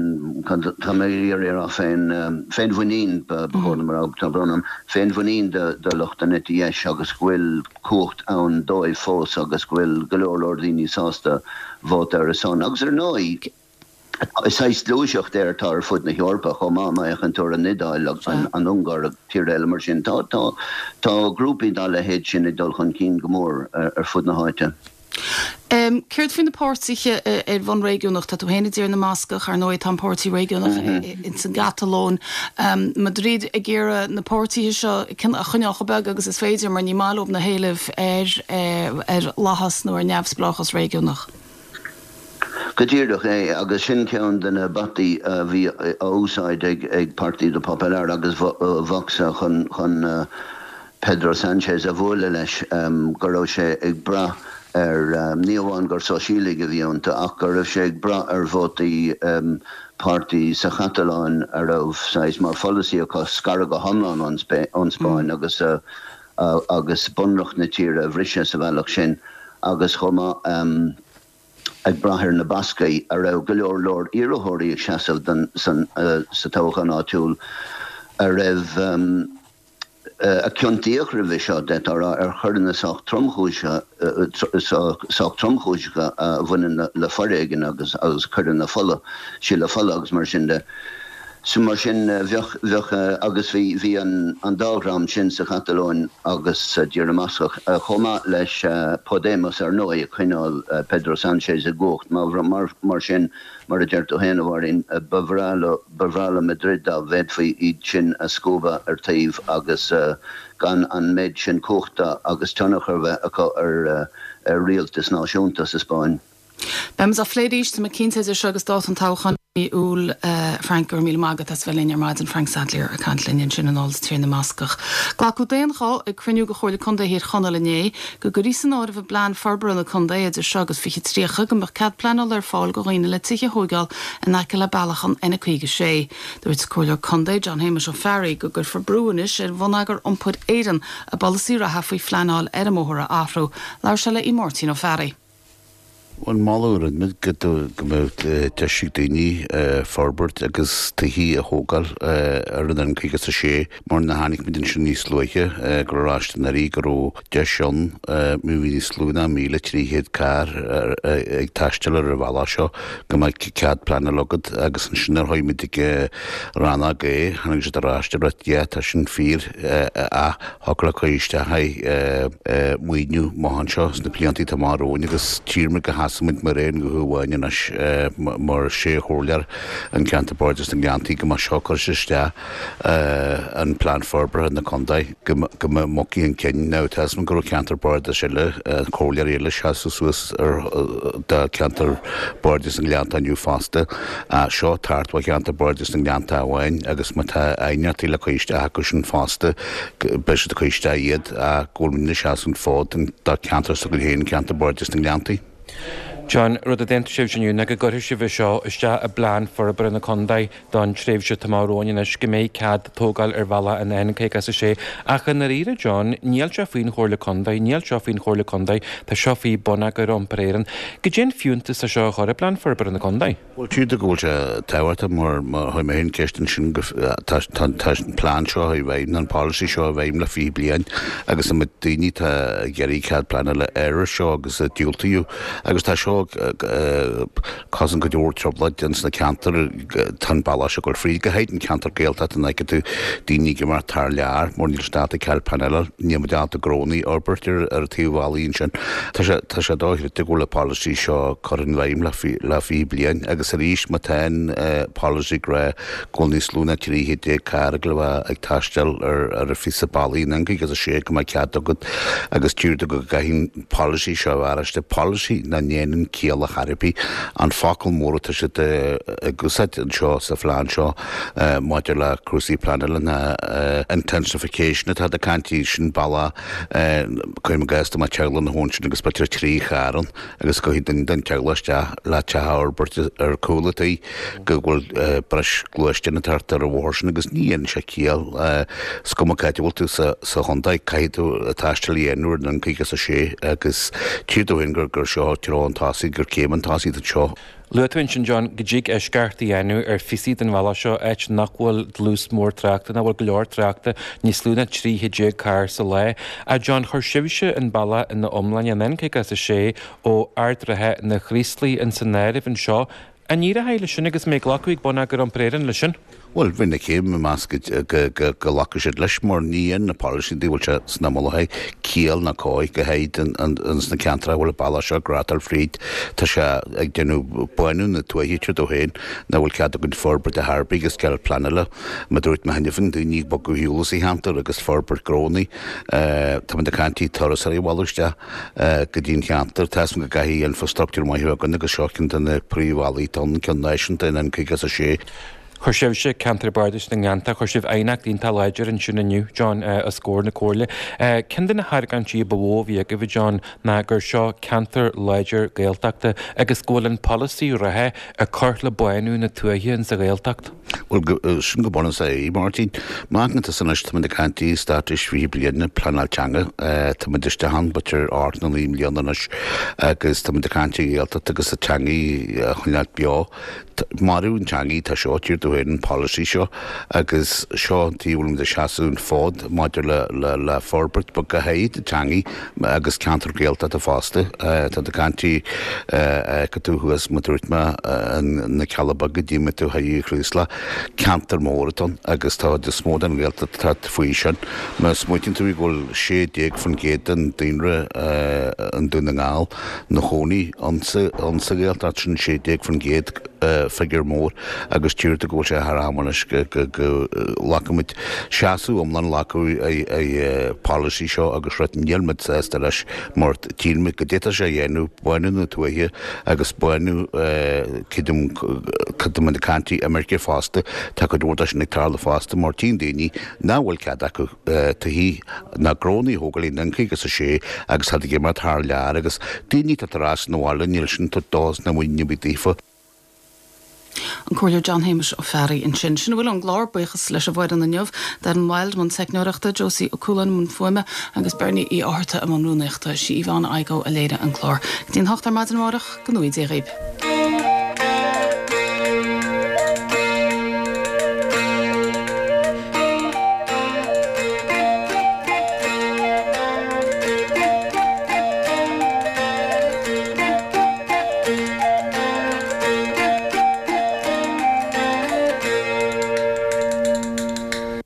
tá mé ag iarraidh a rá féin, féinmhuinín ba chóir dom a rá, tá brón orm, féinmhuinín do lucht an eite dheis agus go bhfuil cumhacht ann dóibh fós agus go bhfuil go leor leor daoine sásta vóta ar a son. Agus ar ndóigh. Saghas gluaiseacht é atá ar fud na hEorpa chomh maith, má fhéachann tú ar an Iodáil, an Ungáir agus tíortha eile mar sin. Tá, tá, tá grúpaí dá leithéid sin ag dul chun cinn go mór ar fud na háite. Céard faoi na páirtithe ar bhonn réigiúnach? Tá tú féin i dTír na mBascach, ar ndóigh, tá an páirtí réigiúnach ins an gCatalóin. Madrid ag iarraidh na páirtithe seo a choinneáil chomh beag agus is féidir mar ní maith leo na héilimh ar ar lathas nó ar neamhspleáchas réigiúnach. Go díreach é, agus sin ceann de na bataí a bhí á úsáid ag Partido Popular agus Vox chun chun Pedro Sánchez a bhualadh leis, go raibh sé ag brath ar, ní amháin gur sóisialaigh a bhí iontu, ach go raibh sé ag brath ar vótaí páirtí sa Chatalóin a raibh saghas mar pholasaí acu scaradh go hiomlán ón Spáinn agus agus bunreacht na tíre a bhriseadh sa bhealach sin agus chomh maith ag brath ar na Bascaigh a raibh go leor leor iarrthóirí ag seasamh don sa toghchán áitiúil a raibh a ciontaíodh roimhe seo, d'fhéadfá a rá, ar choireanna sách tromchúiseacha sách tromchúiseacha a bhaineann le foréigean agus agus coireanna fola, sileadh fola agus mar sin de. So mar sin bheadh, bheadh, agus bhí, bhí an, an dá dhream sin sa Chatalóin agus sa dTír na mBascach, chomh maith leis Podemos ar ndóigh, ag coinneáil Pedro Sánchez i gcumhacht. Mar, mar, mar sin, mar a deir tú féin, a Mháirín, ba bhreá leo, ba bhreá le Madrid dá bhféadfaí iad sin a scuabadh ar taobh agus gan an méid sin cumhachta agus tionchar a bheith acu ar, ar rialtas náisiúnta sa Spáinn. Beimid á phlé arís, tá mé cinnte, idir seo agus dáta an toghcháin i mí Iúil. Frank, go raibh míle maith agat as bheith linn ar maidin. Frank Sadlier ag caint linn ansin anall as Tír na mBascach. Glacadh d'aon ghuth ag cruinniú de Chomhairle Contae Thír Chonaill inné go gcuirfí san áireamh i bplean forbartha na contae idir seo agus 2030 go mbeadh cead pleanála ar fáil do dhaoine le tithe a thóigeáil in aice le bealach an N56. Dúirt Comhairleoir Contae John Shéamuis Ó Fearraigh go gcuirfear brú anois ar Bhonneagar Iompair Éireann a bpolasaí reatha faoi phleanáil ar an mbóthar a athrú. Labhair sé le Máirtín Ó Fearraigh. An moladh a rinne muid go mbeadh deis ag daoine forbairt agus tithe a thógáil ar an N56 mar nuair a tháinig muid ansin níos luaithe go raibh ar ais anuraidh go raibh deis ann má bhí níos lú ná 1,300 carr ag taisteal ar an bhealach seo go mbeadh cead pleanála agat agus ansin nuair a chuaigh muid ag rannóg A tháinig siad ar ais dúirt yeah tá sin fíor ach Thiocfadh le cur isteach aghaidh maoiniú amach anseo sna blianta atá amach romhainn agus tchífidh muid go sheasfaidh muid mar aon ghuth amháin anois mar sé chomhairleoir an ceantar Bardais na nGleanntaí go mbeadh seo curtha isteach an plean forbartha na contae go mbeadh mucaí an cinn. Now tá a fhios agam go raibh ceantar Bardais eile, comhairleoirí eile seasamh suas ar do ceantar Bardais na nGleannta inniu fosta. Seo tart ó cheantar Bardais na nGleannta amháin agus má tá aighneachtaí le cur isteach acu sin fosta beidh siad ag cur isteach iad ach go bhfuil muid ag seasamh an fód do cheantar s'againn féin, ceantar Bardais na nGleanntaí. John, Rud a d'aontaigh sibhse inniu ná go gcuirfidh sibh é seo isteach i bplean forbartha na contae don tréimhse atá amach romhainn anois, go mbeidh cead tógáil ar bhealach an N56. Ach i ndáiríre, John, níl sé faoin Chomhairle Contae, níl seo faoin Chomhairle Contae, tá seo faoi Bonneagar Iompair Éireann. Goidé an fiúntas é seo a chur i bplean forbartha na contae? Bhuel, tchítear go bhfuil sé tábhachtach mar chuir mé féin ceist ansin go tá tá an plean seo i bhfeidhm, an polasaí seo i bhfeidhm le 20 bliain agus an daoine atá ag iarraidh cead pleanála air seo agus a diúltaíodh agus tá seo ag cosaint go leor trioblóid ins na ceantair tá an bealach seo ag dul fríd, go háirid an ceantar Gaeltachta an bhfeiceann tú daoine ag imeacht thar lear mar níl siad ábalta cead pleanála, níl muid ábalta gnónna a fhorbairt ar an taobh bhealaigh ansin. Tá sé tá sé dochreidte go bhfuil an polasaí seo curtha in bhfeidhm le le 20 bliain agus arís má tá an polasaí ag rá go bhfuil níos lú ná 13 chéad carr ag le bheith ag taisteal ar ar an phíosa bealaigh an N56 go mbeadh cead agat agus tchítear go gcaithfidh an polasaí seo a bheith ar ais polasaí nach ndéanann ciall ar chor ar bith an focal mór atá siad ag úsáid anseo sa phlean seo maidir le cúrsaí pleanála ná intensification atá ag caint sin bealach Cuirim i gcás dá mbeadh teaghlach ina chónaí ansin agus b'fhéidir 3 charr ann agus go gcaithfidh duine den teaghlach isteach le teach a fhorbairt ar cúl an tí go bhfuil breis gluaisteán ag teacht ar an bhóthar sin agus ní dhéanann sé ciall. Is cuma cá háit a bhfuil tú sa chontae caithfidh tú taisteal a dhéanamh ar an N56 agus tchítear dom féin gur seo treo an tosaigh, gur céim an tosaigh anseo. Luaigh tú ansin, John, go dtig eisceacht a dhéanamh ar phíosaí den bhealach seo, áit nach bhfuil dlús mór tráchta, nach bhfuil go leor tráchta, níos lú ná 13 chéad carr sa lá. Ach John, chuir sibhse an bealach ina iomláine, an N56 ó Ard an Rátha na Craoslaigh, ins an áireamh anseo. An éireoidh leis sin agus an mbeidh glacadh ag Bonneagar Iompair Éireann leis sin? Bhuel, bheinn ag meas go nglacfaidh siad leis mar ní dhéanann na polasaí a bhfuil sé sna mullachaí ciall ná cóir go háirid ins na ceantracha a bhfuil an bealach seo ag reáchtáil fríd. Tá sé ag déanamh bánú na tuaithe tríd ó féin nach bhfuil cead againn forbairt ar chor ar bith agus cead pleanála. Mar a dúirt mé cheana féin, daoine ag bogadh ar shiúl as an cheantar agus forbairt gnónnaí. Táimid ag caint ar turasóirí a mhealladh isteach go dtí an cheantar. Tá 'fhios a'm go gcaithfidh infrastructúr maith a bheith againn agus seo ceann de na príomhbhealaí atá ann, ceann náisiúnta an N56. Chuir sibhse, Ceantar Bardais na nGleannta, chuir sibh aighneacht iontach láidir ansin inniu, John, os comhair na Comhairle. Ceann de na hargóintí ba mhó a bhí agaibh, a John, ná gur seo ceantar láidir Gaeltachta agus go bhfuil an polasaí reatha ag cur le bánú na tuaithe insa Ghaeltacht. Bhuel, sin go bunúsach é, Máirtín. Má amharcann tusa anois, táimid ag caint i straitéis 20 bliain, pleanáil teanga, táimid isteach ann, b'fhéidir 8 nó 9 mbliana anois agus táimid ag caint ar Ghaeltacht agus an teangaidh a choinneáil beo. Marú an teangaidh atá seo, tír dó féin, an polasaí seo agus seo an taobh a bhfuilimid ag seasamh an fód maidir le le forbairt but go háirid an teangaidh agus ceantar Gaeltachta fosta. Tá tú ag caint go tú thuas mar dúirt mé na Cealla Beaga d'imigh tú thar Chraoslach, ceantar mór atá ann agus tá is mó den Ghaeltacht atá faoi sin. Má smaoitíonn tú go bhfuil 16% den daonra i nDún na nGall 'na chónaí ann sa Ghaeltacht, sin 16%, figiúr mór, agus tchítear go bhfuil sé thar am anois go nglacfaimid seasamh iomlán a ghlacadh ar polasaí seo agus rud níl muid sásta leis mar tchíonn muid go d'fhéadfadh sé a dhéanamh bánú na tuaithe agus bánú creidim cad muid ag caint imirce fosta tá cuid mhór de sin ag tarlú fosta mar tchíonn daoine nach bhfuil cead acu tithí ná gnónnaí a thógáil in N56 agus táid ag imeacht thar lear agus daoine atá ar ais 'na bhaile níl sin ag tabhairt dóchas ná muinín ar bith daofa. An Comhairleoir John Shéamuis Ó Fearraigh ansin. Sin a bhfuil ón gclár. Buíochas leis an bhfoireann inniu, Darren Wilde i mbun teicneoireachta, Josie Ó Cualáin i mbun fuaime agus Bernie Uí Fhátharta i mbun rúnaíochta. Sí Yvonne Igoe a léirigh an clár. Go dtí an hocht ar maidin amárach, go ngnóthaí Dia dhaoib.